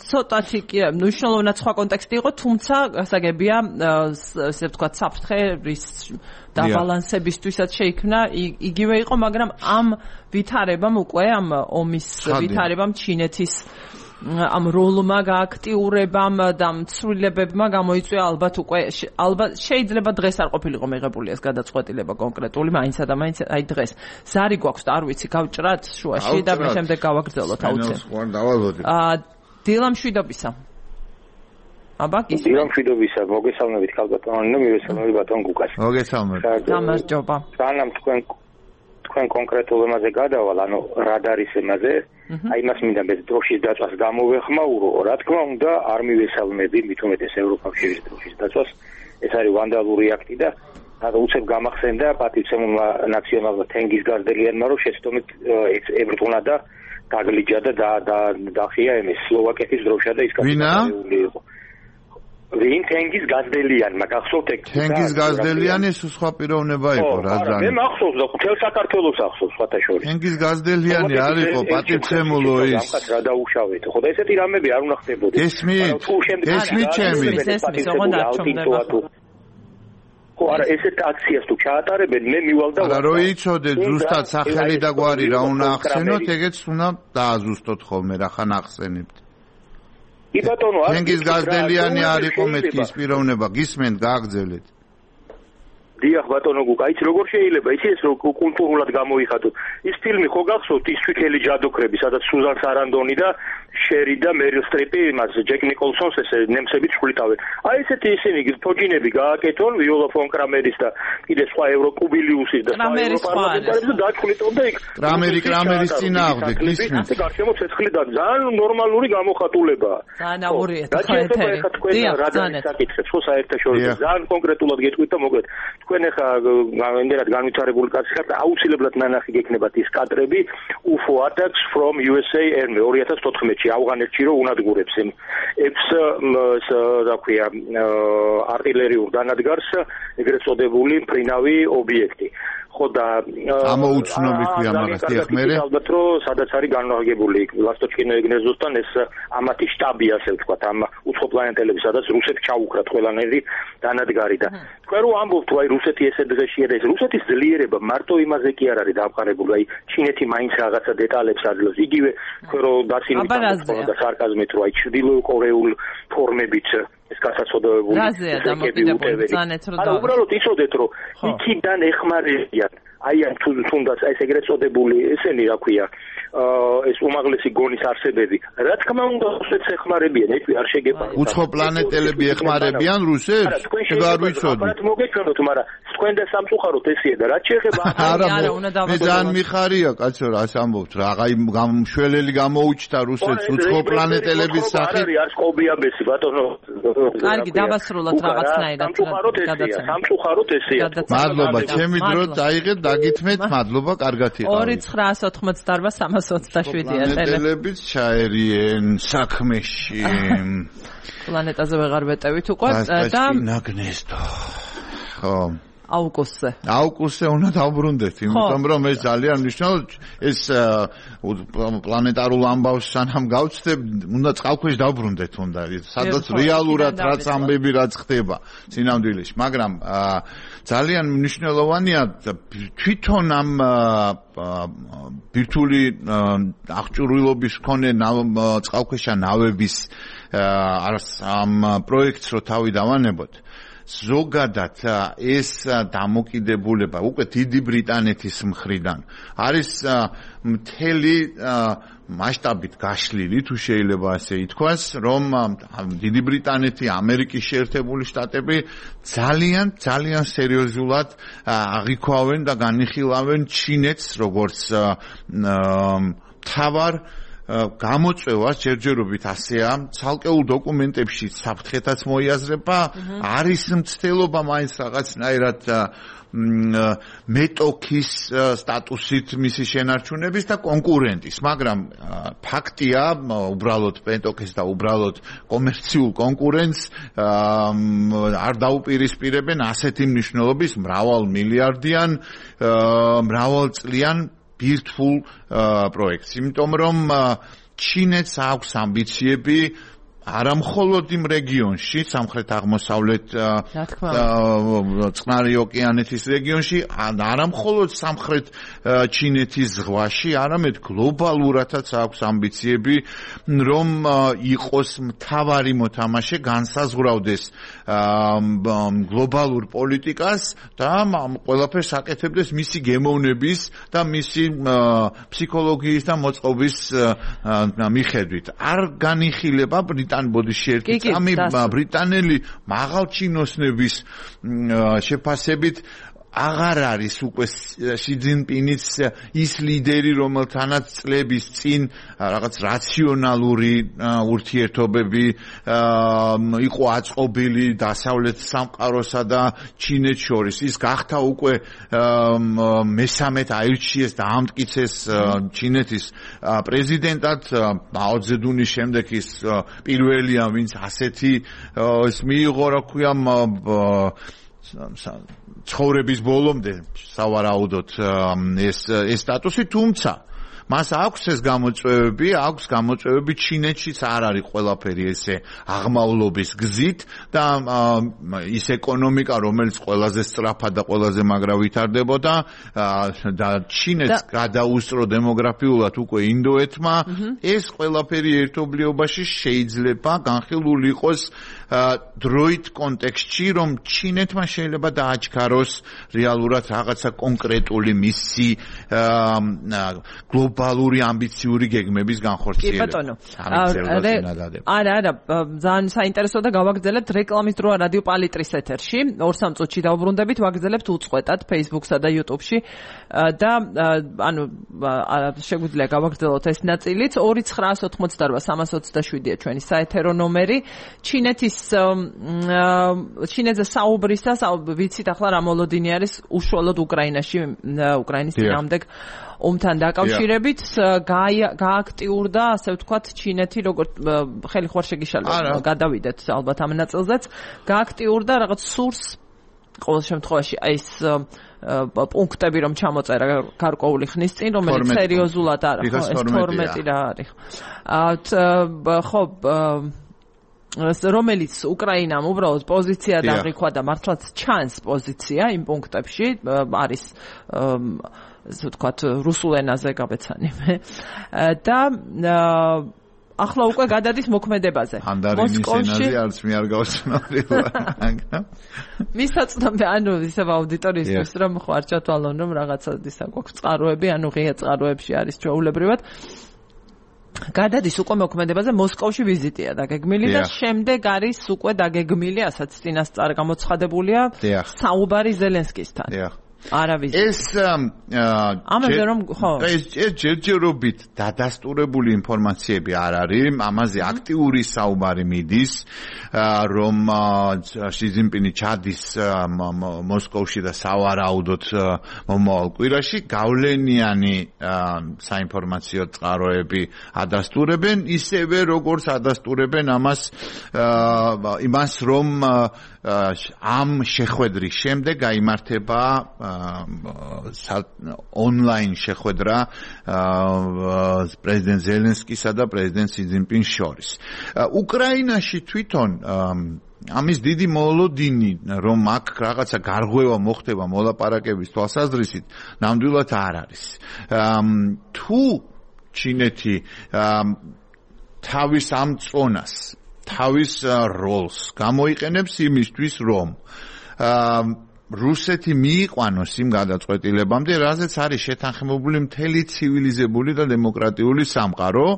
ცოტათი კი მნიშვნელოვნად სხვა კონტექსტი იყო, თუმცა გასაგებია, ესე ვთქვათ, საფრთხეების დაბალანსებისთვისაც შეიქმნა იგივე იყო, მაგრამ ამ ვითარებამ უკვე ამ ომის ვითარებამ ჩინეთის ამ როლმა გააქტიურებამ და მცვლილებებმა გამოიწვია ალბათ უკვე ალბათ შეიძლება დღეს არ ყოფილიყო მიღებული ეს გადაწყვეტილება კონკრეტული მაინცა და მაინც აი დღეს ზარი გვაქვს და არ ვიცი გავჭრათ შუაში და მე შემდეგ გავაგრძელოთ აუცილებლად აა დილამშვიდობისა აბა ის დილამშვიდობისა მოგესალმებით ქალბატონო მივესალმებით ბატონ გუკას მოგესალმებით გამარჯობა სანამ თქვენ თქვენ კონკრეტულ ემაზე გადავალ ანუ რადარის ემაზე აი მას მინდა მე დროშის დაწვას გამოვეხმაურო რა თქმა უნდა არ მივესალმები მით უმეტეს ევროკავშირის დროშის დაწვას ეს არის ვანდალური აქტი და ანუ უცებ გამახსენდა პატივცემულმა ნაციონალმა თენგის გარდელიანმა რომ შეცდომით ებრძოლა და დაგლიჯა და და დახია ემის სლოვაკეთის დროშა და ის კაცი იყო ვინ თენგიზ გაზდელიანმა გახსოვთ ეგ თენგიზ გაზდელიანი ეს სხვა პიროვნება იყო რა ზანი მე მახსოვს და მთელ საქართველოს ახსოვს სხვათა შორის თენგიზ გაზდელიანი არ იყო პატივცემულო ის რა დაუშავეთ ხო და ესეთი რამები არ უნდა ხდებოდეს ესმით ესმით ჩემი ესმით ოღონდ არ ჩომდება ხო არა ესეთ აქციას თუ ჩაატარებენ მე მივალ და არა რო იცოდეთ ზუსტად სახელი და გვარი რა უნდა ახსენოთ ეგეც უნდა დააზუსტოთ ხოლმე რა ხან ახსენებთ კი ბატონო არ თენგიზ გაზდელიანი არ იყო მეთქის პიროვნება გისმენთ გააგრძელეთ დიახ ბატონო გუკა იცი როგორ შეიძლება იცი ეს კულტურულად გამოიხატოთ ის ფილმი ხო გახსოვთ ის თვითელი ჯადოქრები სადაც სუზან სარანდონი და შერი და მერილ სტრიპი იმას ჯეკ ნიკოლსონს ესე ნემსებით შვილთავენ აი ესეთი ისინი თოჯინები გააკეთონ ვიოლა ფონ კრამერის და კიდე სხვა ევროკუბილიუსის და სხვა ევროპარლამენტარების და დაჩხლიტონ და იქ კრამერი კრამერის წინააღმდეგ გისმენთ გარშემო ცეცხლი და ძალიან ნორმალური გამოხატულებაა ძალიან აურიეთ ხა ეთერი დიახ ძალიან საკითხებს ხო საერთაშორისო ძალიან კონკრეტულად გეტყვით და მოკლედ თქვენ ახლა იმდენად განვითარებული კაცი ხართ აუცილებლად ნანახი გექნებათ ის კადრები U F O attacks from U S A Army ორი ათას თოთხმეტში ავღანეთში რომ უნადგურებს იმ ეფს რა ქვია არტილერიულ დანადგარს ეგრეთ წოდებული მფრინავი ობიექტი ხო და ამოუცნობი ქვია მაგას დიახ მე ალბათ რომ სადაც არის განლაგებული ლასტოჩკინო ეგნეზოსთან ეს ამათი штаბი ასე ვთქვათ ამ უცხო პლანეტელები სადაც რუსეთი ჩაუქრათ ყველანაირი დანადგარი და თქვენ რომ ამბობთ აი რუსეთი ესე დღეშია და ეს რუსეთის ძლიერება მარტო იმაზე კი არ არის დამყარებული აი ჩინეთი მაინც რაღაცა დეტალებს აძლევს იგივე თქვენ რომ დაცინებით და სარკაზმით რომ აი ჩრდილო კორეულ ფორმებით ეს გასაცოდებული რაზეა დამოკიდებული ზანეთ რომ არა უბრალოდ იცოდეთ რომ იქიდან ეხმარებიან აი ამ თუნდაც ეს ეგრეთ წოდებული ესენი რა ქვია ეს უმაღლესი გონის არსებები რა თქმა უნდა რუსეთს ეხმარებიან ეს არ შეგეპაროთ უცხო პლანეტელები ეხმარებიან რუსეთს ეგ არ ვიცოდი რა მოგეჩვენოთ მაგრამ თქვენ და სამწუხაროდ ესეა და რა შეიძლება არა მე ძალიან მიხარია კაცო რა ამბობთ რა აი გამშველელი გამოუჩნდა რუსეთს უცხო პლანეტელების სახით არის სკობიაბესი ბატონო კარგი დავასრულოთ რაღაცნაირად გადაცემა სამწუხაროდ ესეა მადლობა ჩემი დრო დაიღეთ დაგითმეთ მადლობა კარგად იყავით ორი ცხრაას ოცდაოთხმოცდაარბა სამას ოცდაშვიდია პლანეტელებიც ჩაერიენ საქმეში პლანეტაზე ვეღარ ვეტევით უკვე და ნაგნესტო ხო აუკუსზე. აუკუსზე უნდა დავბრუნდეთ, იმიტომ რომ ეს ძალიან მნიშვნელოვანი ეს პლანეტარულ ამბავს სანამ გავწდებ, უნდა წყალქვეშ დავბრუნდეთ უნდა, სადაც რეალურად რაც ამბები რაც ხდება სინამდვილეში, მაგრამ ძალიან მნიშვნელოვანია თვითონ ამ ბირთვული აღჭურვილობის მქონე წყალქვეშა ნავების ამ პროექტს რო თავი დავანებოთ ზოგადად ეს დამოკიდებულება უკვე დიდი ბრიტანეთის მხრიდან არის მთელი მასშტაბით გაშლილი თუ შეიძლება ასე ითქვას რომ დიდი ბრიტანეთი ამერიკის შეერთებული შტატები ძალიან ძალიან სერიოზულად აღიქვავენ და განიხილავენ ჩინეთს როგორც თავარ გამოწვევას ჯერჯერობით ასეა ცალკეულ დოკუმენტებში საფრთხეთაც მოიაზრება არის მცდელობა მაინც რაღაცნაირად მეტოქის სტატუსით მისი შენარჩუნების და კონკურენტის მაგრამ ფაქტია უბრალოდ მეტოქის და უბრალოდ კომერციულ კონკურენტს არ დაუპირისპირებენ ასეთი მნიშვნელობის მრავალ მილიარდიან მრავალწლიან ბირთვულ პროექტს, იმიტომ რომ ჩინეთს აქვს ამბიციები არა მხოლოდ იმ რეგიონში, სამხრეთ აღმოსავლეთ წყნარი ოკეანეთის რეგიონში, არა მხოლოდ სამხრეთ ჩინეთის ზღვაში, არამედ გლობალურადაც აქვს ამბიციები, რომ იყოს მთავარი მოთამაშე, განსაზღვრავდეს გლობალურ პოლიტიკას და ყველაფერს აკეთებდეს მისი გემოვნების და მისი ფსიქოლოგიის და მოწყობის მიხედვით. არ განიხილება ბრიტანეთის ბოდიში ერთი წამი ბრიტანელი მაღალჩინოსნების შეფასებით აღარ არის უკვე ში ძინპინის ის ლიდერი, რომელთანაც წლების წინ რაღაც რაციონალური ურთიერთობები იყო აწყობილი დასავლეთ სამყაროსა და ჩინეთს შორის. ის გახდა უკვე მესამედ აირჩიეს და ამტკიცეს ჩინეთის პრეზიდენტად. მაო ძედუნის შემდეგ ის პირველია, ვინც ასეთი ის მიიღო, რა ქვია, ცხოვრების ბოლომდე სავარაუდოდ ეს ეს სტატუსი, თუმცა მას აქვს ეს გამოწვევები, აქვს გამოწვევები ჩინეთშიც არ არის ყველაფერი ესე აღმავლობის გზით და ის ეკონომიკა, რომელიც ყველაზე სწრაფად და ყველაზე მაგრა ვითარდებოდა და ჩინეთს გადაუსწრო დემოგრაფიულად უკვე ინდოეთმა, ეს ყველაფერი ერთობლიობაში შეიძლება განხილული იყოს დროით კონტექსტში, რომ ჩინეთმა შეიძლება დააჩქაროს რეალურად რაღაცა კონკრეტული მისი გლობალური ამბიციური გეგმების განხორციელება. კი ბატონო. არა, არა, ძალიან საინტერესო და გავაგრძელებთ რეკლამის დროა რადიო პალიტრის ეთერში. ორ სამ წუთში დავბრუნდებით, ვაგრძელებთ უწყვეტად Facebook-სა და YouTube-ში და ანუ შეგვიძლია გავაგრძელოთ ეს ნაწილიც. ორი ცხრაას ოთხმოცდარვა სამას ოცდაშვიდია ჩვენი საეთერო ნომერი. ჩინეთის ჩინეთზე საუბრისას ვიცით ახლა რა მოლოდინი არის უშუალოდ უკრაინაში, უკრაინის წინააღმდეგ ომთან დაკავშირებით გააქტიურდა, ასე ვთქვათ, ჩინეთი, როგორც ხელი ხوار შეგიშალება, გადავიდეთ ალბათ ამ ნაწილზეც, გააქტიურდა რაღაც სურს ყოველ შემთხვევაში აი ეს პუნქტები რომ ჩამოწერა გარკვეული ხნის წინ, რომელიც სერიოზულად არა, ხო, ეს თორმეტი რა არის. ხო, რომელიც უკრაინამ უბრალოდ პოზიცია დაღიქვა და მართლაც ჩანს პოზიცია იმ პუნქტებში, არის ასე ვთქვათ, რუსულ ენაზე გავეცანიმე და ახლა უკვე გადადის მოქმედებაზე. მოსკოვში არც მე არ გავცნობდი. მისაწვდომი, ანუ ისე აუდიტორიისთვის რომ ხო არ ჩათვალონ, რომ რაღაცა ისა გვაქვს წყაროები, ანუ ღია წყაროებში არის ჩვეულებრივად. გადადის უკვე მოქმედებაზე, მოსკოვში ვიზიტია დაგეგმილი და შემდეგ არის უკვე დაგეგმილი, ასაც წინასწარ გამოცხადებულია, საუბარი ზელენსკისთან. ეს ამაზე რომ ხო ეს ჯერჯერობით დადასტურებული ინფორმაციები არ არის, ამაზე აქტიური საუბარი მიდის, რომ ში ძინპინი ჩადის მოსკოვში და სავარაუდოდ მომავალ კვირაში გავლენიანი საინფორმაციო წყაროები ადასტურებენ, ისევე როგორც ადასტურებენ ამას იმას, რომ ამ შეხვედრის შემდეგ გაიმართება ონლაინ შეხვედრა პრეზიდენტ ზელენსკისა და პრეზიდენტ ში ძინპინს შორის. უკრაინაში თვითონ ამის დიდი მოლოდინი, რომ აქ რაღაცა გარღვევა მოხდება მოლაპარაკების თვალსაზრისით, ნამდვილად არ არის. თუ ჩინეთი თავის ამ წონას, თავის როლს გამოიყენებს იმისთვის, რომ რუსეთი მიიყვანოს იმ გადაწყვეტილებამდე, რაზეც არის შეთანხმებული მთელი ცივილიზებული და დემოკრატიული სამყარო,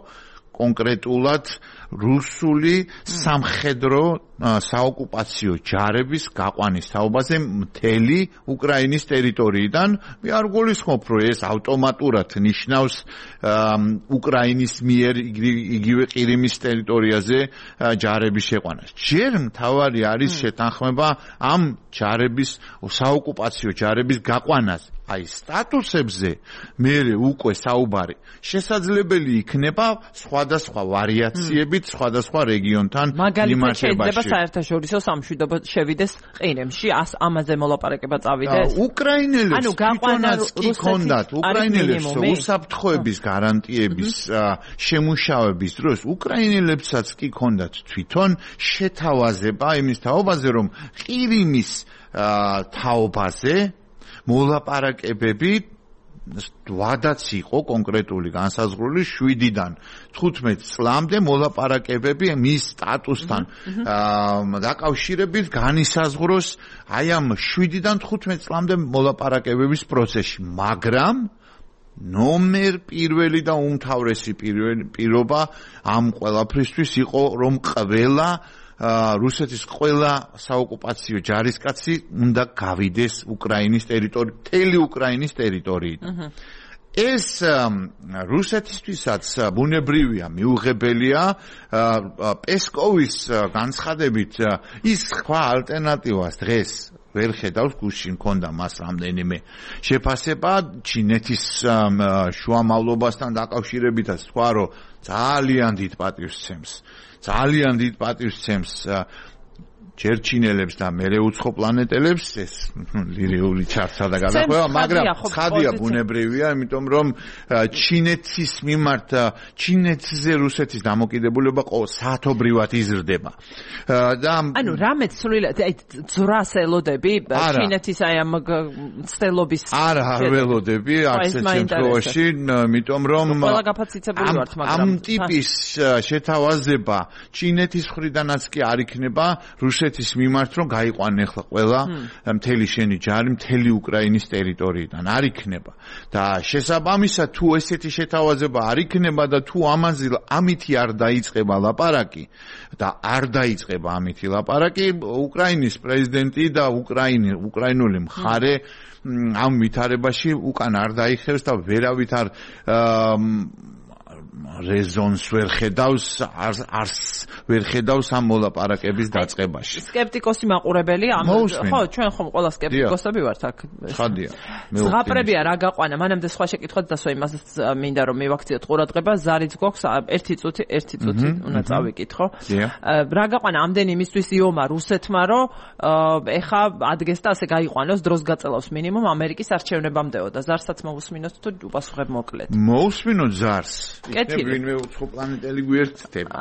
კონკრეტულად რუსული სამხედრო საოკუპაციო ჯარების გაყვანის თაობაზე მთელი უკრაინის ტერიტორიიდან. მე არ გულისხმობ, რომ ეს ავტომატურად ნიშნავს უკრაინის მიერ იგივე ყირიმის ტერიტორიაზე ჯარების შეყვანას. ჯერ მთავარი არის შეთანხმება ამ ჯარების, საოკუპაციო ჯარების გაყვანას. აი სტატუსებზე მერე უკვე საუბარი შესაძლებელი იქნება სხვადასხვა ვარიაციებით სხვადასხვა რეგიონთან მიმართებაში. საერთაშორისო სამშვიდობო შევიდეს ყირიმში, ამაზე მოლაპარაკება წავიდეს. უკრაინელებს თვითონაც კი ჰქონდათ, უკრაინელებს უსაფრთხოების გარანტიების შემუშავების დროს უკრაინელებსაც კი ჰქონდათ თვითონ შეთავაზება იმის თაობაზე, რომ ყირიმის თაობაზე მოლაპარაკებები ვადაც იყო კონკრეტული განსაზღვრული შვიდიდან თხუთმეტ წლამდე მოლაპარაკებები მის სტატუსთან დაკავშირებით განისაზღვროს აი ამ შვიდიდან თხუთმეტ წლამდე მოლაპარაკებების პროცესში, მაგრამ ნომერ პირველი და უმთავრესი პირობა ამ ყველაფრისთვის იყო, რომ ყველა რუსეთის ყველა საოკუპაციო ჯარისკაცი უნდა გავიდეს უკრაინის ტერიტორიიდან, მთელი უკრაინის ტერიტორიიდან. ეს რუსეთისთვისაც ბუნებრივია, მიუღებელია. პესკოვის განცხადებით ის სხვა ალტერნატივას დღეს ვერ ხედავს, გუშინ მქონდა მას რამდენიმე შეფასება ჩინეთის შუამავლობასთან დაკავშირებითაც თქვა, რომ ძალიან დიდ პატივსცემს. ძალიან დიდ პატივსცემს ჯერ ჩინელებს და მერე უცხო პლანეტელებს ეს ლირიული ჩარჩა და გადახვევა, მაგრამ ცხადია ბუნებრივია, იმიტომ რომ ჩინეთის მიმართ ჩინეთზე რუსეთის დამოკიდებულება საათობრივად იზრდება. და ანუ რამეც სრულიად აი ძრას ელოდები ჩინეთის აი ამ ცდელობის არა არ ველოდები არც ერთ შემთხვევაში, იმიტომ რომ ყველა გაფაციცებული ვართ, მაგრამ ამ ტიპის შეთავაზება ჩინეთის მხრიდანაც კი არ იქნება რუსეთის ეს მიმართ რომ გაიყვანე ახლა ყველა მთელი შენი ჯარი მთელი უკრაინის ტერიტორიიდან არ იქნება და შესაბამისად თუ ესეთი შეთავაზება არ იქნება და თუ ამაზე ამითი არ დაიწყება ლაპარაკი და არ დაიწყება ამითი ლაპარაკი უკრაინის პრეზიდენტი და უკრაინი უკრაინული მხარე ამ ვითარებაში უკან არ დაიხევს და ვერავით არ რეზონს ვერ ხედავს არს ვერ ხედავს ამ მოლაპარაკების დაწყებაში. სკეპტიკოსი მაყურებელი ამ ხო ჩვენ ხომ ყველა სკეპტიკოსები ვართ აქ. ხადია. ზღაპრებია რა გაყვანა, მანამდე სხვა შეკითხვაც დასვა იმას მინდა რომ მივაქციოთ ყურადღება, ზარიც გვაქვს ერთი წუთი, ერთი წუთი უნდა წავიკითხო. რა გაყვანა ამდენი იმისთვის იომა რუსეთმა რომ ეხა ადგეს და ასე გაიყვანოს დროს გაწელავს მინიმუმ ამერიკის არჩევნებამდეო და ზარსაც მოусმინოთ თუ უპასუხებ მოკლედ. მოусმინოთ ზარს. ვინმე უცხო პლანეტელი გვერდდება.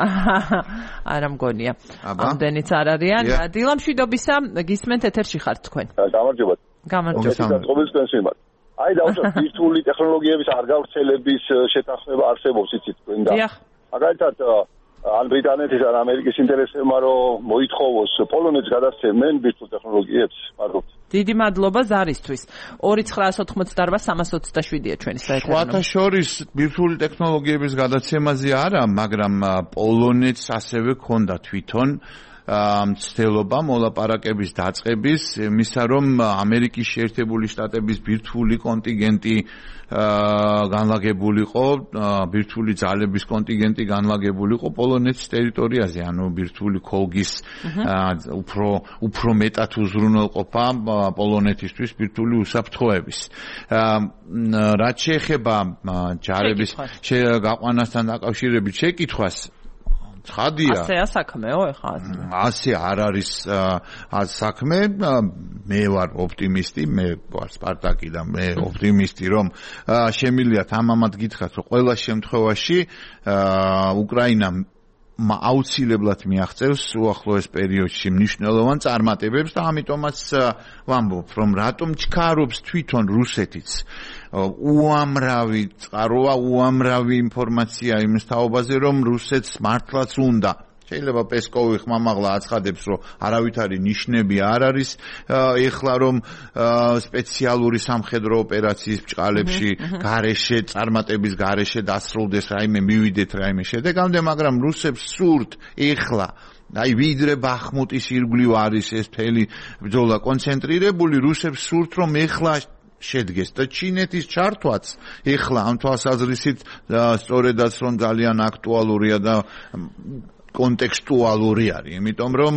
არა მგონია. ამდენიც არ არიან. დილამშვიდობისა, გისმენთ ეთერში ხართ თქვენ. გამარჯობა. გამარჯობა. ყოველთვის სიმართლე. აი დავუშვათ ვირტუალური ტექნოლოგიების არ გავრცელების შეთანხმება არსებობს იცით თქვენ და. მაგალითად ან ბრიტანეთის ან ამერიკის ინტერესებმა რომ მოითხოვოს პოლონეთს გადასცემენ ვირტუალურ ტექნოლოგიებს მადლობთ. დიდი მადლობა ზარისთვის. ორი ცხრაას ოცდაოთხმოცდაარბა სამას ოცდაშვიდია ჩვენი საერთო. სხვათა შორის ვირტუალური ტექნოლოგიების გადაცემაზე არა, მაგრამ პოლონეთს ასევე ჰქონდა თვითონ მცდელობა მოლაპარაკების დაწყების, იმისა რომ ამერიკის შეერთებული შტატების ბირთვული კონტინგენტი განლაგებულიყო, ბირთვული ძალების კონტინგენტი განლაგებულიყო პოლონეთის ტერიტორიაზე, ანუ ბირთვული ქოლგის უფრო უფრო მეტად უზრუნველყოფა პოლონეთისთვის ბირთვული უსაფრთხოების. რაც შეეხება ჯარების გაყვანასთან დაკავშირებით შეკითხვას ხადია. ასეა საქმეო ეხლა. ასე არ არის საქმე. მე ვარ ოპტიმისტი, მე ვარ სპარტაკი და მე ოპტიმისტი, რომ შემიძლიათ ამამად გითხრათ, რომ ყველა შემთხვევაში უკრაინა აუცილებლად მიაღწევს უახლოეს პერიოდში მნიშვნელოვან წარმატებებს და ამიტომაც ვამბობ, რომ რატომ ჩქარობს თვითონ რუსეთიც უამრავი წყაროა, უამრავი ინფორმაცია იმის თაობაზე, რომ რუსეთს მართლაც უნდა. შეიძლება პესკოვი ხმამაღლა აცხადებს, რომ არავითარი ნიშნები არ არის ეხლა რომ სპეციალური სამხედრო ოპერაციის ბჭყალებში გარეშე წარმატების გარეშე დასრულდეს რაიმე მივიდეთ რაიმე შედეგამდე, მაგრამ რუსებს სურთ ეხლა აი ვიდრე ბახმუტის ირგვლივ არის ეს მთელი ბრძოლა კონცენტრირებული, რუსებს სურთ რომ ეხლა შედგეს და ჩინეთის ჩართვაც ეხლა ამ თვალსაზრისით სწორედაც რომ ძალიან აქტუალურია და კონტექსტუალური არის, იმიტომ რომ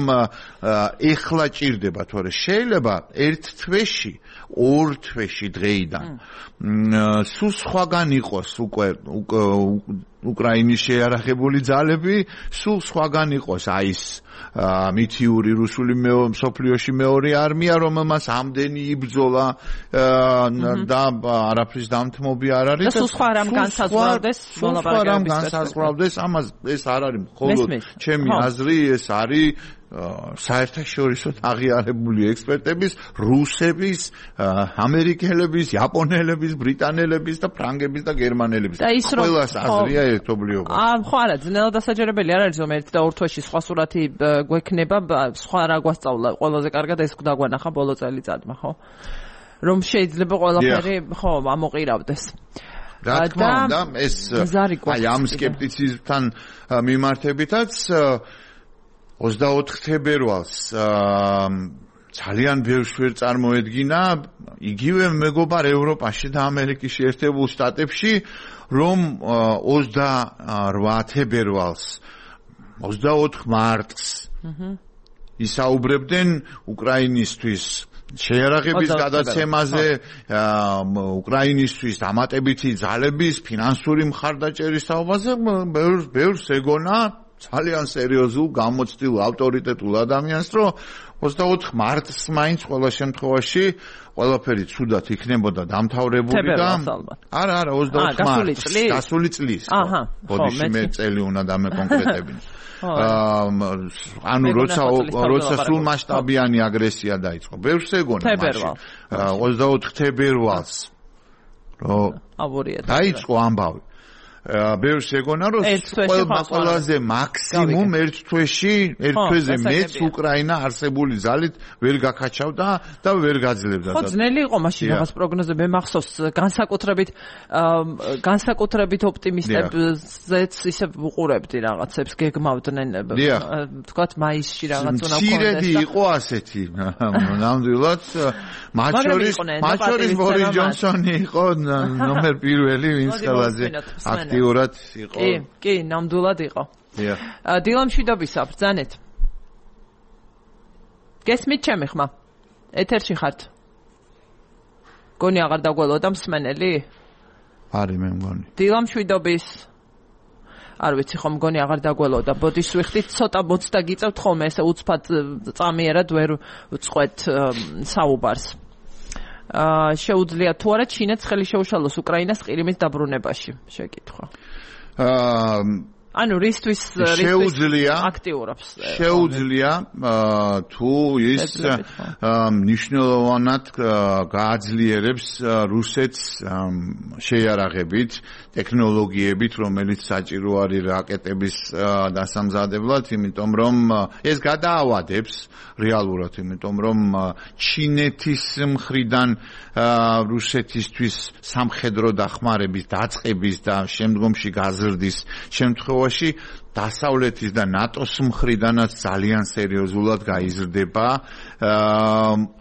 ეხლა ჭირდება, თორე შეიძლება ერთ თვეში, ორ თვეში დღეიდან სულ სხვაგან იყოს უკვე უკრაინის შეიარაღებული ძალები, სულ სხვაგან იყოს აი ეს მითიური რუსული მსოფლიოში მეორე არმია, რომელმაც ამდენი იბრძოლა და არაფრის დამთმობი არ არის და სულ სხვა რამ განსაზღვრავდეს მოლაპარაკებების განსაზღვრავდეს, ამას ეს არ არის მხოლოდ ჩემი აზრი, ეს არის საერთაშორისო აღიარებული ექსპერტების, რუსების, ამერიკელების, იაპონელების, ბრიტანელების და ფრანგების და გერმანელების. ყველას აზრია ერთობლიობა. აა, ხო არა, ძნელად დასაჯერებელი არ არის, რომ ერთ და ორ თვეში სხვა სურათი გვექნება, სხვა რა გვასწავლა, ყველაზე კარგად ეს დაგვანახა ბოლო წელიწადმა, ხო? რომ შეიძლება ყველაფერი, ხო, ამოყირავდეს. რა თქმა უნდა, ეს აი ამ სკეპტიციზმთან მიმართებითაც ოცდაოთხ თებერვალს ძალიან ბევრს ვერ წარმოედგინა იგივე მეგობარ ევროპაში და ამერიკის შეერთებულ შტატებში რომ ოცდარვა თებერვალს ოცდაოთხ მარტს ისაუბრებდნენ უკრაინისთვის შეიარაღების გადაცემაზე უკრაინისთვის დამატებითი ძალების ფინანსური მხარდაჭერის საუბარზე ბევრს ბევრს ეგონა ძალიან სერიოზულ გამოცდილ ავტორიტეტულ ადამიანს რომ ოცდაოთხ მარტს მაინც ყველა შემთხვევაში ყველაფერი ცუდად იქნებოდა დამთავრებული და არა არა ოცდაოთხ მარტს გასული წლის აჰა ბოდიში მე წელი უნდა დამეკონკრეტებინო ანუ როცა როცა სულ მასშტაბიანი აგრესია დაიწყო ბევრს ეგონა მაშინ ოცდაოთხ თებერვალს რომ დაიწყო ამბავი ბევრს ეგონა რომ ყველაზე მაქსიმუმ ერთ თვეში ერთ თვეზე მეც უკრაინა არსებული ძალით ვერ გაკაჩავდა და ვერ გაძლევდა ხო ძნელი იყო მაშინ რაღაც პროგნოზები მე მახსოვს განსაკუთრებით განსაკუთრებით ოპტიმისტებზეც ისე უყურებდი რაღაცებს გეგმავდნენ თქვათ მაისში რაღაც უნდა კონდეს ცირედი იყო ასეთი ნამდვილად მათ შორის მათ შორის ბორის ჯონსონი იყო ნომერ პირველი ვინც ყველაზე აქტიურად იყო. კი, კი, ნამდვილად იყო. დიახ. დილამშვიდობისა, ბრძანეთ. გესმით ჩემი ხმა? ეთერში ხართ? გონი აღარ დაგველოდა მსმენელი? არის მე მგონი. დილამშვიდობის არ ვიცი ხომ მგონი აღარ დაგველოდა. ბოდიშს ვიხდით, ცოტა მოცდა გიწევთ ხოლმე, ესე უცბად წამიერად ვერ ვწყვეთ საუბარს. აა შეუძლია თუ არა ჩინეთს ხელი შეუშალოს უკრაინას ყირიმის დაბრუნებაში შეკითხვა. აა ანუ რისთვის შეუძლია აქტიურობს შეუძლია თუ ის მნიშვნელოვნად გააძლიერებს რუსეთს შეიარაღებით ტექნოლოგიებით რომელიც საჭირო არის რაკეტების დასამზადებლად იმიტომ რომ ეს გადაავადებს რეალურად იმიტომ რომ ჩინეთის მხრიდან რუსეთისთვის სამხედრო დახმარების დაწყების და შემდგომში გაზრდის შემთხვევაში დასავლეთის და ნატოს მხრიდანაც ძალიან სერიოზულად გაიზრდება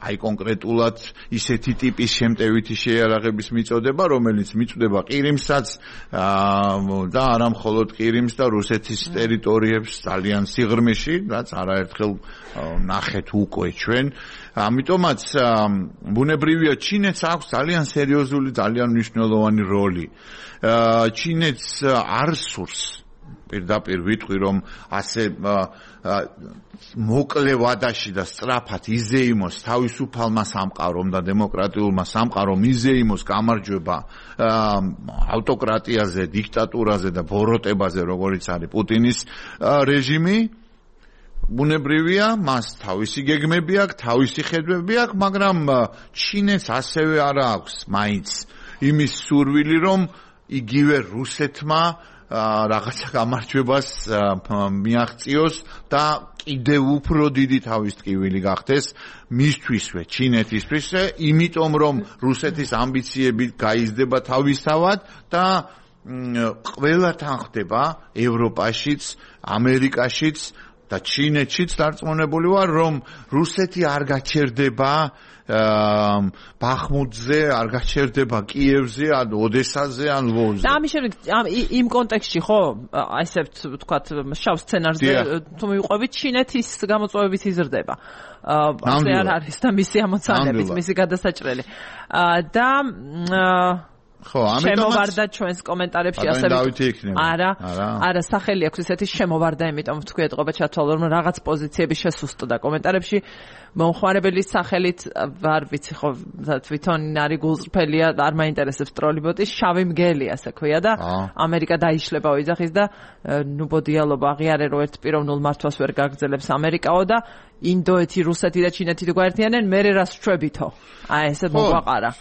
აი კონკრეტულად ისეთი ტიპის შემტევითი შეიარაღების მიწოდება რომელიც მიწდება ყირიმსაც და არა მხოლოდ ყირიმს და რუსეთის ტერიტორიებს ძალიან სიღრმეში რაც არაერთხელ ნახეთ უკვე ჩვენ ამიტომაც ბუნებრივია ჩინეთს აქვს ძალიან სერიოზული ძალიან მნიშვნელოვანი როლი ჩინეთს არ სურს პირდაპირ ვიტყვი რომ ასე მოკლე ვადაში და სწრაფად იზეიმოს თავისუფალმა სამყარომ და დემოკრატიულმა სამყარომ იზეიმოს გამარჯვება ავტოკრატიაზე, დიქტატურაზე და ბოროტებაზე, როგორიც არის პუტინის რეჟიმი ბუნებრივია, მას თავისი გეგმები აქვს, თავისი ხედვები აქვს, მაგრამ ჩინეთს ასევე არ აქვს მაინც იმის სურვილი, რომ იგივე რუსეთმა რაღაცა გამარჯვებას მიაღწიოს და კიდევ უფრო დიდი თავის ტკივილი გახდეს მისთვისვე ჩინეთისთვის, იმიტომ რომ რუსეთის ამბიციები გაიზრდება თავისთავად და ყველა თან ხდება ევროპაშიც, ამერიკაშიც და ჩინეთშიც დარწმუნებული ვარ, რომ რუსეთი არ გაჩერდება ბახმუტზე, არ გაჩერდება კიევზე, ან ოდესაზე, ან ლვოვზე. და ამის შემდეგ იმ კონტექსტში ხო, ასე ვთქვათ, შავ სცენარზე თუ მივყვებით, ჩინეთის გამოწვევებით იზრდება. ასე არ არის და მისი ამოცანებით, მისი გადასაჭრელი. და ხო, ამიტომ შემოვარდა ჩვენს კომენტარებში ასე არა, არა, სახელი აქვს ისეთი შემოვარდა, იმიტომ ვთქვი ეთყობა ჩათვალო რომ რაღაც პოზიციები შესუსტდა კომენტარებში. მომხმარებლის სახელით არ ვიცი ხო თვითონ არის გულწრფელია, არ მაინტერესებს ტროლიბოტი, შავი მგელი ასე ქვია და ამერიკა დაიშლება ოიძახის და ნუ ბოდიალობა აღიარე რომ ერთ პიროვნულ მართვას ვერ გაგრძელებს ამერიკაო და ინდოეთი, რუსეთი და ჩინეთი თუ გაერთიანენ, მერე რას შევებითო? აი ესე მოგვაყარა.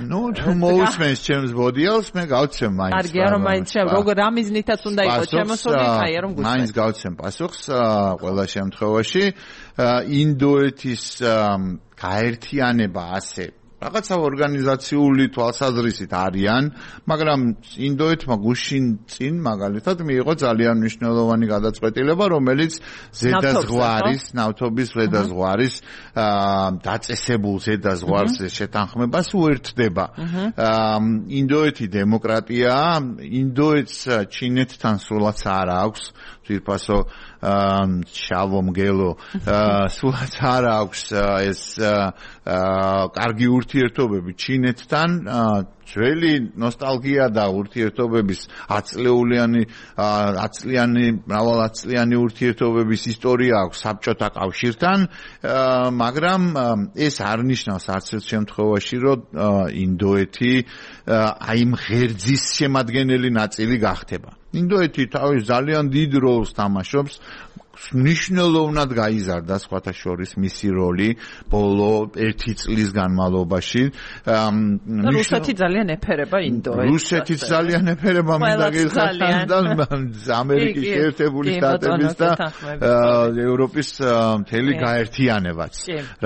ნუ თუ მოусმენს ჩემს ბოდიალს, მე გავცემ მაინც. კარგია რომ მაინც შევ, როგორ ამიზნითაც უნდა იყოს შემოსული, ხაია რომ გუჩვენ. მაინც გავცემ პასუხს ყველა შემთხვევაში. ინდოეთის გაერთიანება ასე რაღაცა ორგანიზაციული თვალსაზრისით არიან, მაგრამ ინდოეთმა გუშინ წინ მაგალითად მიიღო ძალიან მნიშვნელოვანი გადაწყვეტილება, რომელიც ზედაზღვარის, ნავთობის ზედაზღვარის დაწესებულ ზედაზღვარს შეთანხმებას უერთდება. ინდოეთი დემოკრატიაა, ინდოეთს ჩინეთთან სულაც არ აქვს ძირფასო შავო მგელო სულაც არ აქვს ეს კარგი ურთიერთობები ჩინეთთან ძველი ნოსტალგია და ურთიერთობების ათწლეულიანი ათწლიანი მრავალათწლიანი ურთიერთობების ისტორია აქვს საბჭოთა კავშირთან მაგრამ ეს არ ნიშნავს არც ერთ შემთხვევაში რომ ინდოეთი აი ამ ღერძის შემადგენელი ნაწილი გახდება ინდოეთი თავის ძალიან დიდ როლს თამაშობს მნიშვნელოვნად გაიზარდა სხვათა შორის მისი როლი ბოლო ერთი წლის განმავლობაში რუსეთი ძალიან ეფერება ინდოეთს რუსეთი ძალიან ეფერება მინდა გიხსნა ამერიკის შეერთებული შტატების და ევროპის მთელი გაერთიანებაც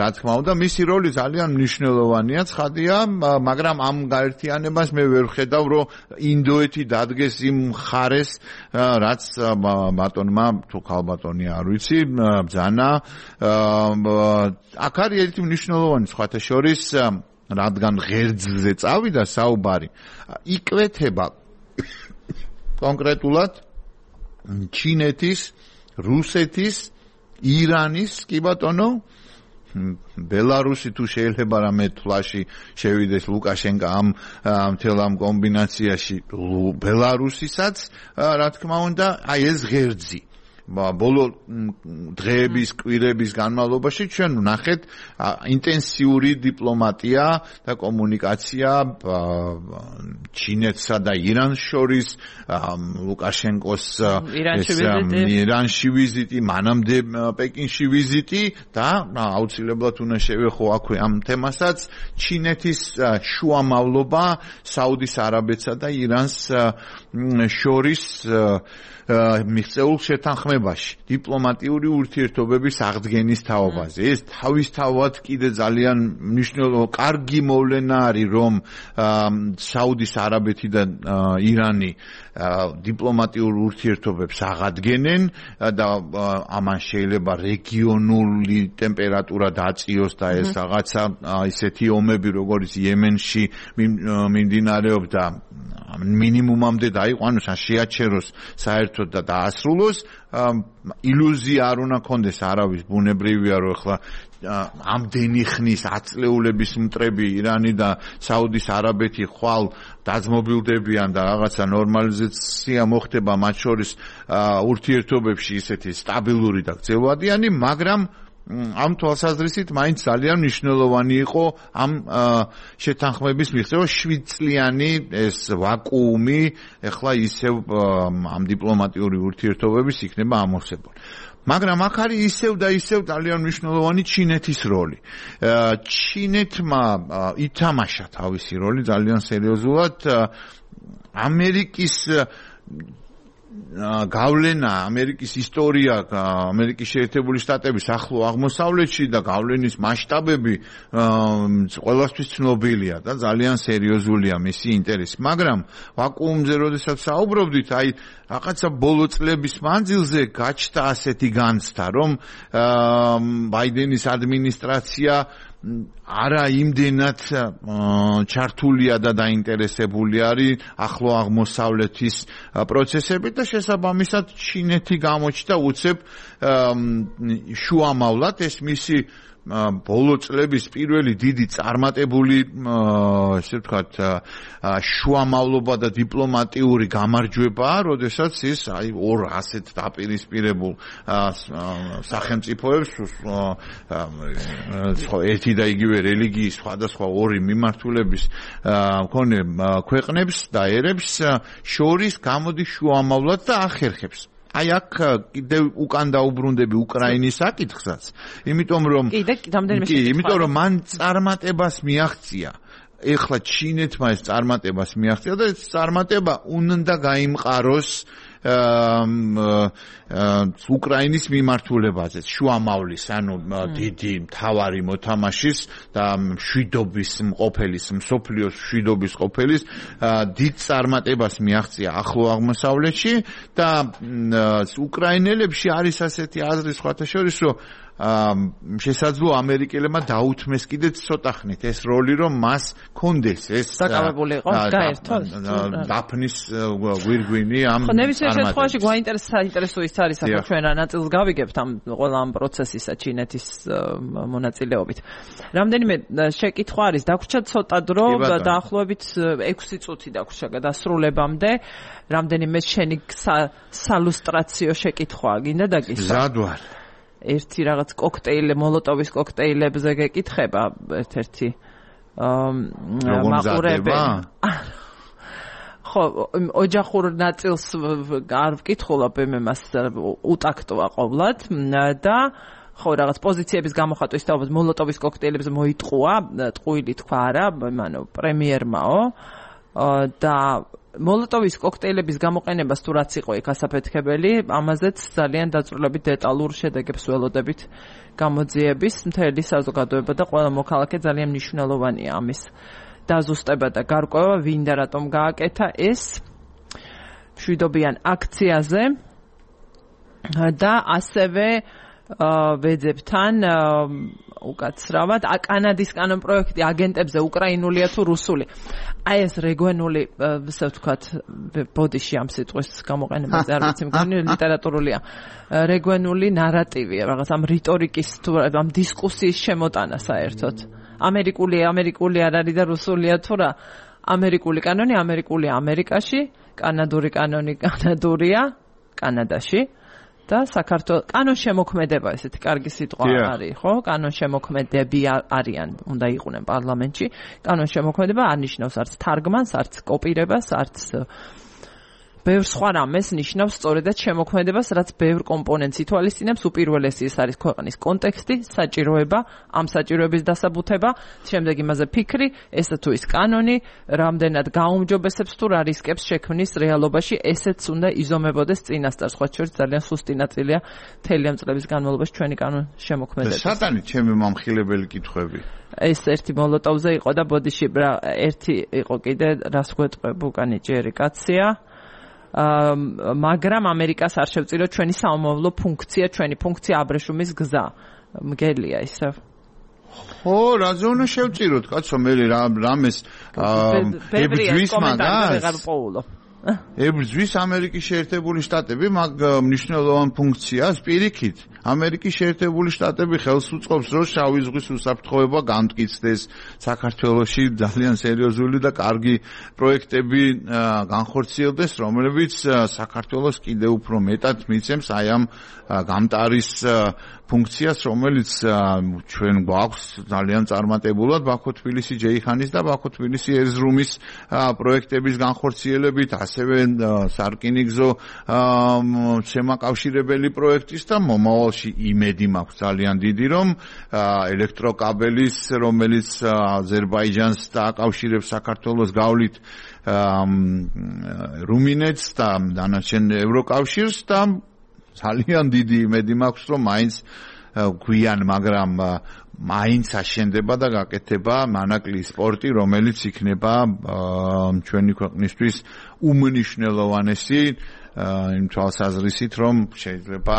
რა თქმა უნდა მისი როლი ძალიან მნიშვნელოვანია ცხადია მაგრამ ამ გაერთიანებას მე ვერ ხედავ რომ ინდოეთი დადგეს იმ მხარეს რაც ბატონმა თუ ხალბატონი არ ვიცი ბძანა აქ არის ერთი მნიშვნელოვანი სხვათა შორის რადგან ღერძზე წავიდა საუბარი იკვეთება კონკრეტულად ჩინეთის რუსეთის ირანის კი ბატონო ბელარუსი თუ შეიძლება რამე თვლაში შევიდეს ლუკაშენკა ამ მთელ ამ კომბინაციაში ბელარუსისაც რა თქმა უნდა აი ეს ღერძი ბოლო დღეების კვირების განმავლობაში ჩვენ ვნახეთ ინტენსიური დიპლომატია და კომუნიკაცია ჩინეთსა და ირანს შორის ლუკაშენკოს ირანში ვიზიტი მანამდე პეკინში ვიზიტი და აუცილებლად უნდა შევეხო აქვე ამ თემასაც ჩინეთის შუამავლობა საუდის არაბეთსა და ირანს შორის მიღწეულ შეთანხმებაში დიპლომატიური ურთიერთობების აღდგენის თაობაზე ეს თავისთავად კიდე ძალიან მნიშვნელოვანი კარგი მოვლენა არის რომ საუდის არაბეთი და ირანი დიპლომატიურ ურთიერთობებს აღადგენენ და ამან შეიძლება რეგიონული ტემპერატურა დაწიოს და ეს რაღაცა ისეთი ომები როგორც იემენში მიმდინარეობდა მინიმუმამდე დაიყვანოს ან შეაჩეროს საერთოდ და დაასრულოს ილუზია არ უნდა კონდეს არავის ბუნებრივია რომ ახლა ამდენი ხნის ათწლეულების მტრები ირანი და საუდის არაბეთი ხვალ დაძმობილდებიან და რაღაცა ნორმალიზაცია მოხდება მათ შორის ურთიერთობებში ისეთი სტაბილური და გრძელვადიანი მაგრამ ამ თვალსაზრისით მაინც ძალიან მნიშვნელოვანი იყო ამ შეთანხმების მიღწევა შვიდ წლიანი ეს ვაკუუმი ეხლა ისევ ამ დიპლომატიური ურთიერთობების იქნება ამოვსებული მაგრამ აქ არის ისევ და ისევ ძალიან მნიშვნელოვანი ჩინეთის როლი ჩინეთმა ითამაშა თავისი როლი ძალიან სერიოზულად ამერიკის გავლენა ამერიკის ისტორია ამერიკის შეერთებული შტატების ახლო აღმოსავლეთში და გავლენის მასშტაბები ყველასთვის ცნობილია და ძალიან სერიოზულია მისი ინტერესი მაგრამ ვაკუუმზე როდესაც საუბრობდით აი რაღაცა ბოლო წლების მანძილზე გაჩნდა ასეთი განცდა რომ ბაიდენის ადმინისტრაცია არა იმდენად ჩართულია და დაინტერესებული არის ახლო აღმოსავლეთის პროცესებით და შესაბამისად ჩინეთი გამოჩნდა უცებ შუამავლად ეს მისი ბოლო წლების პირველი დიდი წარმატებული ესე ვთქვათ შუამავლობა და დიპლომატიური გამარჯვებაა, როდესაც ის აი ორ ასეთ დაპირისპირებულ სახელმწიფოებს ერთი და იგივე რელიგიის სხვადასხვა ორი მიმართულების მქონე ქვეყნებს და ერებს შორის გამოდის შუამავლად და ახერხებს. აი აქ კიდევ უკან დაუბრუნდები უკრაინის საკითხსაც, იმიტომ რომ კიდე რამდენიმე კი, იმიტომ რომ მან წარმატებას მიაღწია. ეხლა ჩინეთმა ეს წარმატებას მიაღწია და ეს წარმატება უნდა გაიმყაროს უკრაინის მიმართულებაზე, შუამავლის, ანუ დიდი მთავარი მოთამაშის და მშვიდობის მყოფელის, მსოფლიოს მშვიდობის მყოფელის დიდ წარმატებას მიაღწია ახლო აღმოსავლეთში და უკრაინელებში არის ასეთი აზრი სხვათა შორის, რომ შესაძლოა ამერიკელებმა დაუთმეს კიდეც ცოტა ხნით ეს როლი, რომ მას კონდეს ეს საკავებული იყო გაერთოს დაფნის გვირგვინი ამ ხო ნებისმიერ შემთხვევაში გვაინტერესო ის არის ახლა ჩვენ რა ნაწილს გავიგებთ ამ ყველა ამ პროცესისა ჩინეთის მონაწილეობით. რამდენიმე შეკითხვა არის, დაგვრჩა ცოტა დრო, დაახლოებით ექვსი წუთი დაგვრჩა გადასრულებამდე. რამდენიმე შენი სალუსტრაციო შეკითხვაა, გინდა დაგისვა? მზად ვარ. ერთი რაღაც კოქტეილი, მოლოტოვის კოქტეილებზე გეკითხება ერთ-ერთი მაყურებელი. ხო, ოჯახურ ნაწილს არ ვკითხულობ, იმას უტაქტოა ყოვლად და ხო რაღაც პოზიციების გამოხატვის თავად მოლოტოვის კოქტეილებზე მოიტყუა, ტყუილი თქვა არა, ანუ პრემიერმაო და მოლოტოვის კოქტეილების გამოყენებას თუ რაც იყო იქ ასაფეთქებელი, ამაზეც ძალიან დაწვრილებით დეტალურ შედეგებს ველოდებით გამოძიების. მთელი საზოგადოება და ყველა მოქალაქე ძალიან მნიშვნელოვანია ამის დაზუსტება და გარკვევა, ვინ და რატომ გააკეთა ეს მშვიდობიან აქციაზე და ასევე ვეძებთან უკაცრავად კანადის კანონ პროექტი აგენტებზე უკრაინულია თუ რუსული. აი ეს რეგვენული, ასე ვთქვათ, ბოდიში ამ სიტყვის გამოყენებაზე არ ვიცი, მგონი ლიტერატურულია. რეგვენული ნარატივია, რაღაც ამ რიტორიკის თუ ამ დისკუსიის შემოტანა საერთოდ. ამერიკული ამერიკული არ არის და რუსულია თუ რა? ამერიკული კანონი ამერიკულია ამერიკაში, კანადური კანონი კანადურია კანადაში. და საქართველოს კანონ შემოქმედება ესეთი კარგი სიტყვა არის, ხო? კანონ შემოქმედები არიან, უნდა იყვნენ პარლამენტში. კანონ შემოქმედება არ ნიშნავს არც თარგმანს, არც კოპირებას, არც ბევრ სხვა რამეს ნიშნავს სწორედად შემოქმედებას, რაც ბევრ კომპონენტს ითვალისწინებს. უპირველესი ის არის ქვეყნის კონტექსტი, საჭიროება, ამ საჭიროების დასაბუთება, შემდეგ იმაზე ფიქრი, ესა თუ ის კანონი, რამდენად გაუმჯობესებს თუ რა რისკებს შექმნის რეალობაში, ესეც უნდა იზომებოდეს წინასწარ. სხვა შორის ძალიან სუსტი ნაწილია მთელი ამ წლების განმავლობაში ჩვენი კანონ შემოქმედების. სატანი ჩემი მომხილებელი კითხვები. ეს ერთი მოლოტოვზე იყო და ბოდიში ერთი იყო კიდე რას გვეტყვებ უკანი ჯერი კაცია. მაგრამ ამერიკას არ შევწირო ჩვენი საომავლო ფუნქცია, ჩვენი ფუნქცია აბრეშუმის გზა. მგელია ისე. ხო, რაზე უნდა შევწიროთ, კაცო, მე რამეს ებრძვის მაგას. ებრძვის ამერიკის შეერთებული შტატები მაგ მნიშვნელოვან ფუნქციას პირიქით. ამერიკის შეერთებული შტატები ხელს უწყობს, რომ შავი ზღვის უსაფრთხოება გამტკიცდეს საქართველოში ძალიან სერიოზული და კარგი პროექტები განხორციელდეს, რომლებიც საქართველოს კიდევ უფრო მეტად მიცემს აი ამ გამტარის ფუნქციას, რომელიც ჩვენ გვაქვს ძალიან წარმატებულად ბაქო-თბილისი ჯეიხანის და ბაქო-თბილისი ერზრუმის პროექტების განხორციელებით, ასევე სარკინიგზო შემაკავშირებელი პროექტის და მომავალში იმედი მაქვს ძალიან დიდი, რომ ელექტროკაბელის, რომელიც აზერბაიჯანს დააკავშირებს საქართველოს გავლით რუმინეთს და დანარჩენ ევროკავშირს და ძალიან დიდი იმედი მაქვს, რომ მაინც გვიან, მაგრამ მაინც აშენდება და გაკეთება მანაკლი სპორტი, რომელიც იქნება ჩვენი ქვეყნისთვის უმნიშვნელოვანესი იმ თვალსაზრისით, რომ შეიძლება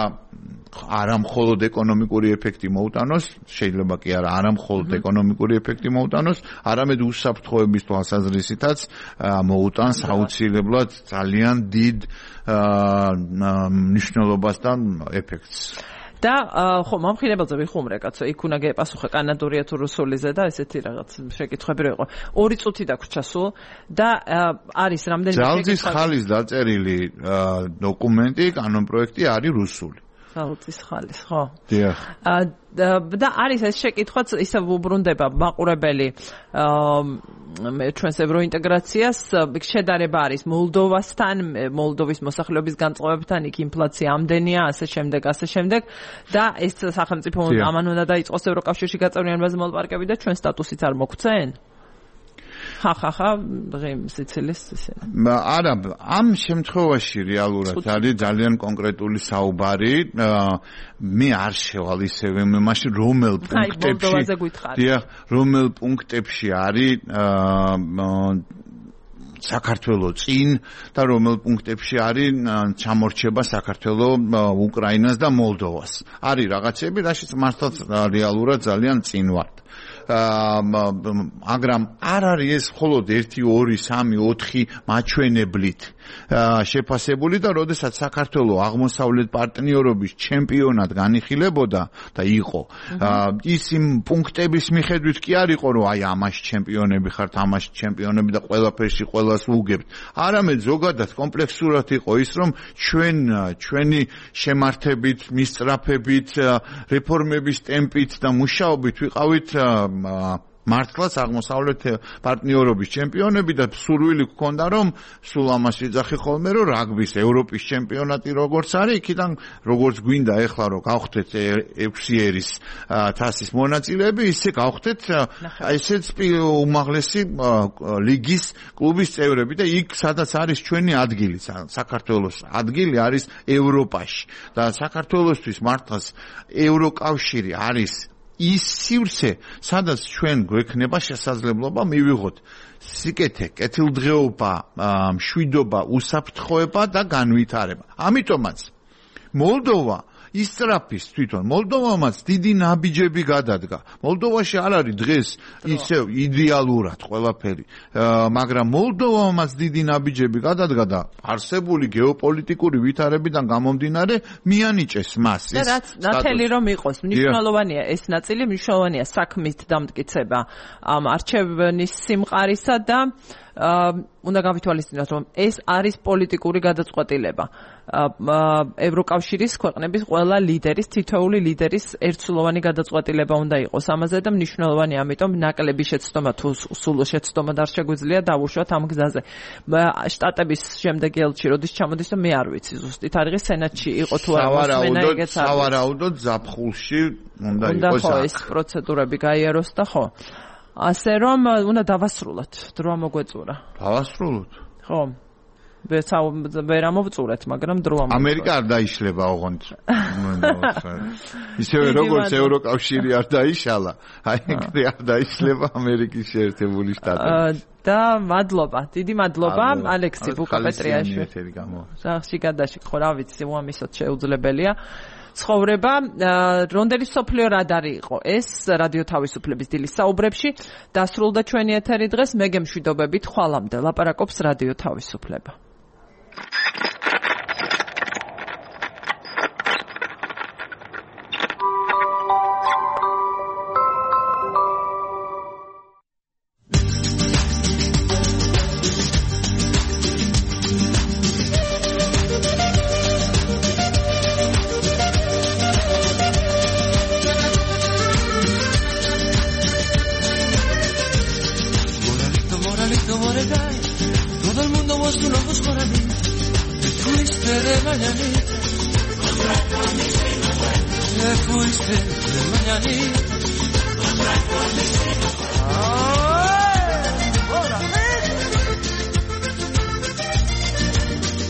არა მხოლოდ ეკონომიკური ეფექტი მოუტანოს, შეიძლება კი არა არა მხოლოდ ეკონომიკური ეფექტი მოუტანოს, არამედ უსაფრთხოების თვალსაზრისითაც მოუტანს აუცილებლად ძალიან დიდ მნიშვნელობას და ეფექტს. და ხო, მომხილებელზე ვიხუმრე, კაცო, იქ უნდა გეპასუხე კანადურია თუ რუსულიზე და ესეთი რაღაც შეკითხვები რო იყო. ორი წუთი დაგვრჩა სულ და არის რამდენიმე შეკითხვა. ძალზის ხალის დაწერილი დოკუმენტი, კანონ პროექტი არის რუსული. ძალზის ხალის, ხო? დიახ. და არის ეს შეკითხვაც ისე უბრუნდება მაყურებელი ჩვენს ევროინტეგრაციას, შედარება არის მოლდოვასთან, მოლდოვის მოსახლეობის განწყობებთან, იქ ინფლაცია ამდენია, ასე შემდეგ, ასე შემდეგ და ეს სახელმწიფო ამან უნდა დაიწყოს ევროკავშირში გაწევრიანებაზე მოლაპარაკებები და ჩვენ სტატუსით არ მოგვცენ? ხახა ხა სიცილის ისე. არა, ამ შემთხვევაში რეალურად არის ძალიან კონკრეტული საუბარი. მე არ შევალ ისევე მე მაშინ რომელ პუნქტებში დიახ, რომელ პუნქტებში არის საქართველოს წინ და რომელ პუნქტებში არის ჩამორჩება საქართველოს, უკრაინას და მოლდოვას. არის რაღაცები, რაშიც მართლაც რეალურად ძალიან წინ ვართ. მაგრამ არ არის ეს მხოლოდ ერთი, ორი, სამი, ოთხი მაჩვენებლით შეფასებული და როდესაც საქართველოს აღმოსავლეთ პარტნიორობის ჩემპიონად განიხილებოდა და იყო ის იმ პუნქტების მიხედვით კი არ იყო რომ აი ამაში ჩემპიონები ხართ, ამაში ჩემპიონები და ყველაფერში ყველას უგებთ. არამედ ზოგადად კომპლექსურად იყო ის რომ ჩვენ ჩვენი შემართებით, მისწრაფებით, რეფორმების ტემპით და მუშაობით ვიყავით მართლაც აღმოსავლეთ პარტნიორობის ჩემპიონები და სურვილი გქონდა რომ სულ ამას ვიძახი ხოლმე რომ რაგბის ევროპის ჩემპიონატი როგორც არის, იქიდან როგორც გვინდა ეხლა რომ გავხდეთ ექვსი ერის თასის მონაწილეები, ისე გავხდეთ ესეც უმაღლესი ლიგის კლუბის წევრები და იქ სადაც არის ჩვენი ადგილი, საქართველოს ადგილი არის ევროპაში და საქართველოსთვის მართლაც ევროკავშირი არის ის სივრცე, სადაც ჩვენ გვექნება შესაძლებლობა მივიღოთ სიკეთე, კეთილდღეობა, მშვიდობა, უსაფრთხოება და განვითარება. ამიტომაც მოლდოვა ისწრაფის თვითონ მოლდოვამაც დიდი ნაბიჯები გადადგა. მოლდოვაში არ არის დღეს ისევ იდეალურად ყველაფერი, მაგრამ მოლდოვამაც დიდი ნაბიჯები გადადგა და არსებული გეოპოლიტიკური ვითარებიდან გამომდინარე მიანიჭეს მას ეს. რაც ნათელი რომ იყოს, მნიშვნელოვანია ეს ნაწილი, მნიშვნელოვანია საქმის დამტკიცება ამ არჩევნის სიმყარისა და უნდა გავითვალისწინოთ რომ ეს არის პოლიტიკური გადაწყვეტილება. ევროკავშირის ქვეყნების ყველა ლიდერის, თითოეული ლიდერის ერთსულოვანი გადაწყვეტილება უნდა იყოს ამაზე და მნიშვნელოვანია, ამიტომ ნაკლები შეცდომა თუ სულ შეცდომა არ შეგვიძლია დავუშვათ ამ გზაზე. შტატების შემდეგი ელჩი როდის ჩამოდის და მე არ ვიცი ზუსტით არის სენატში იყო თუ არა მოსმენა ეგეც არის. სავარაუდოდ ზაფხულში უნდა იყოს ეს პროცედურები გაიაროს და ხო. ასე რომ უნდა დავასრულოთ, დრო მოგვეწურა. დავასრულოთ. ხო. ვერ ამოვწურეთ, მაგრამ დრო ამოვწურეთ. ამერიკა არ დაიშლება ოღონდ. ისევე როგორც ევროკავშირი არ დაიშალა, აი ეგრე არ დაიშლება ამერიკის შეერთებული შტატები. და მადლობა, დიდი მადლობა ალექსი ბუკაპეტრიაშვილი. სახში გადაში ხო რა ვიცი, უამისოდ შეუძლებელია. ცხოვრება, რონდელი სოფლიო რადარი იყო ეს რადიო თავისუფლების დილის საუბრებში. დასრულდა ჩვენი ეთერი დღეს, მე გემშვიდობებით ხვალამდე. ლაპარაკობს რადიო თავისუფლება.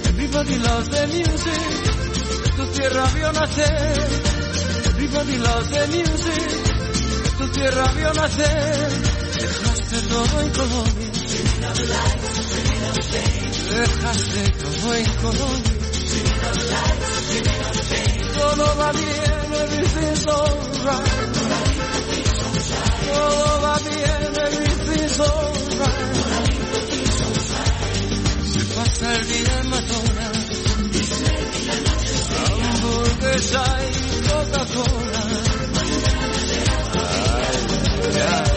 Everybody loves the music, tu tierra vio nacer. Everybody loves the music, tu tierra vio nacer. Dejaste todo en Colombia, dejaste todo en Colombia. Todo va bien, everything's alright. Todo va bien, everything's alright. Se pasa el día en McDonald's, hamburguesa y Coca-Cola. Ay, ay.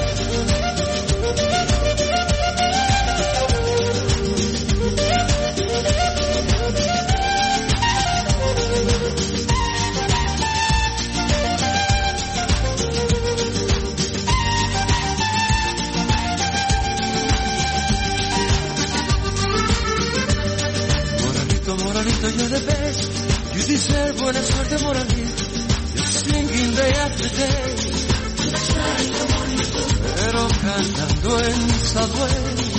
Moralito, you're the best. You deserve buena suerte, Moralito. You're singing day after day. Pero cantando en Subway.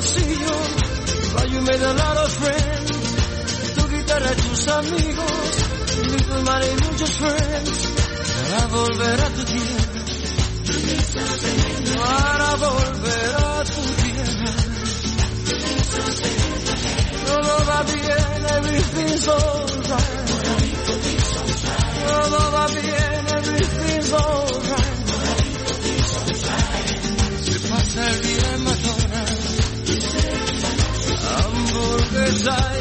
bolsillo, hay un medallar of friends, tu guitarra y tus amigos, little money y muchos friends, para volver a tu tierra, para volver a tu tierra. Todo va bien, everything's alright. Todo va bien, everything's alright. Se pasa el día en McDonald's, hamburguesa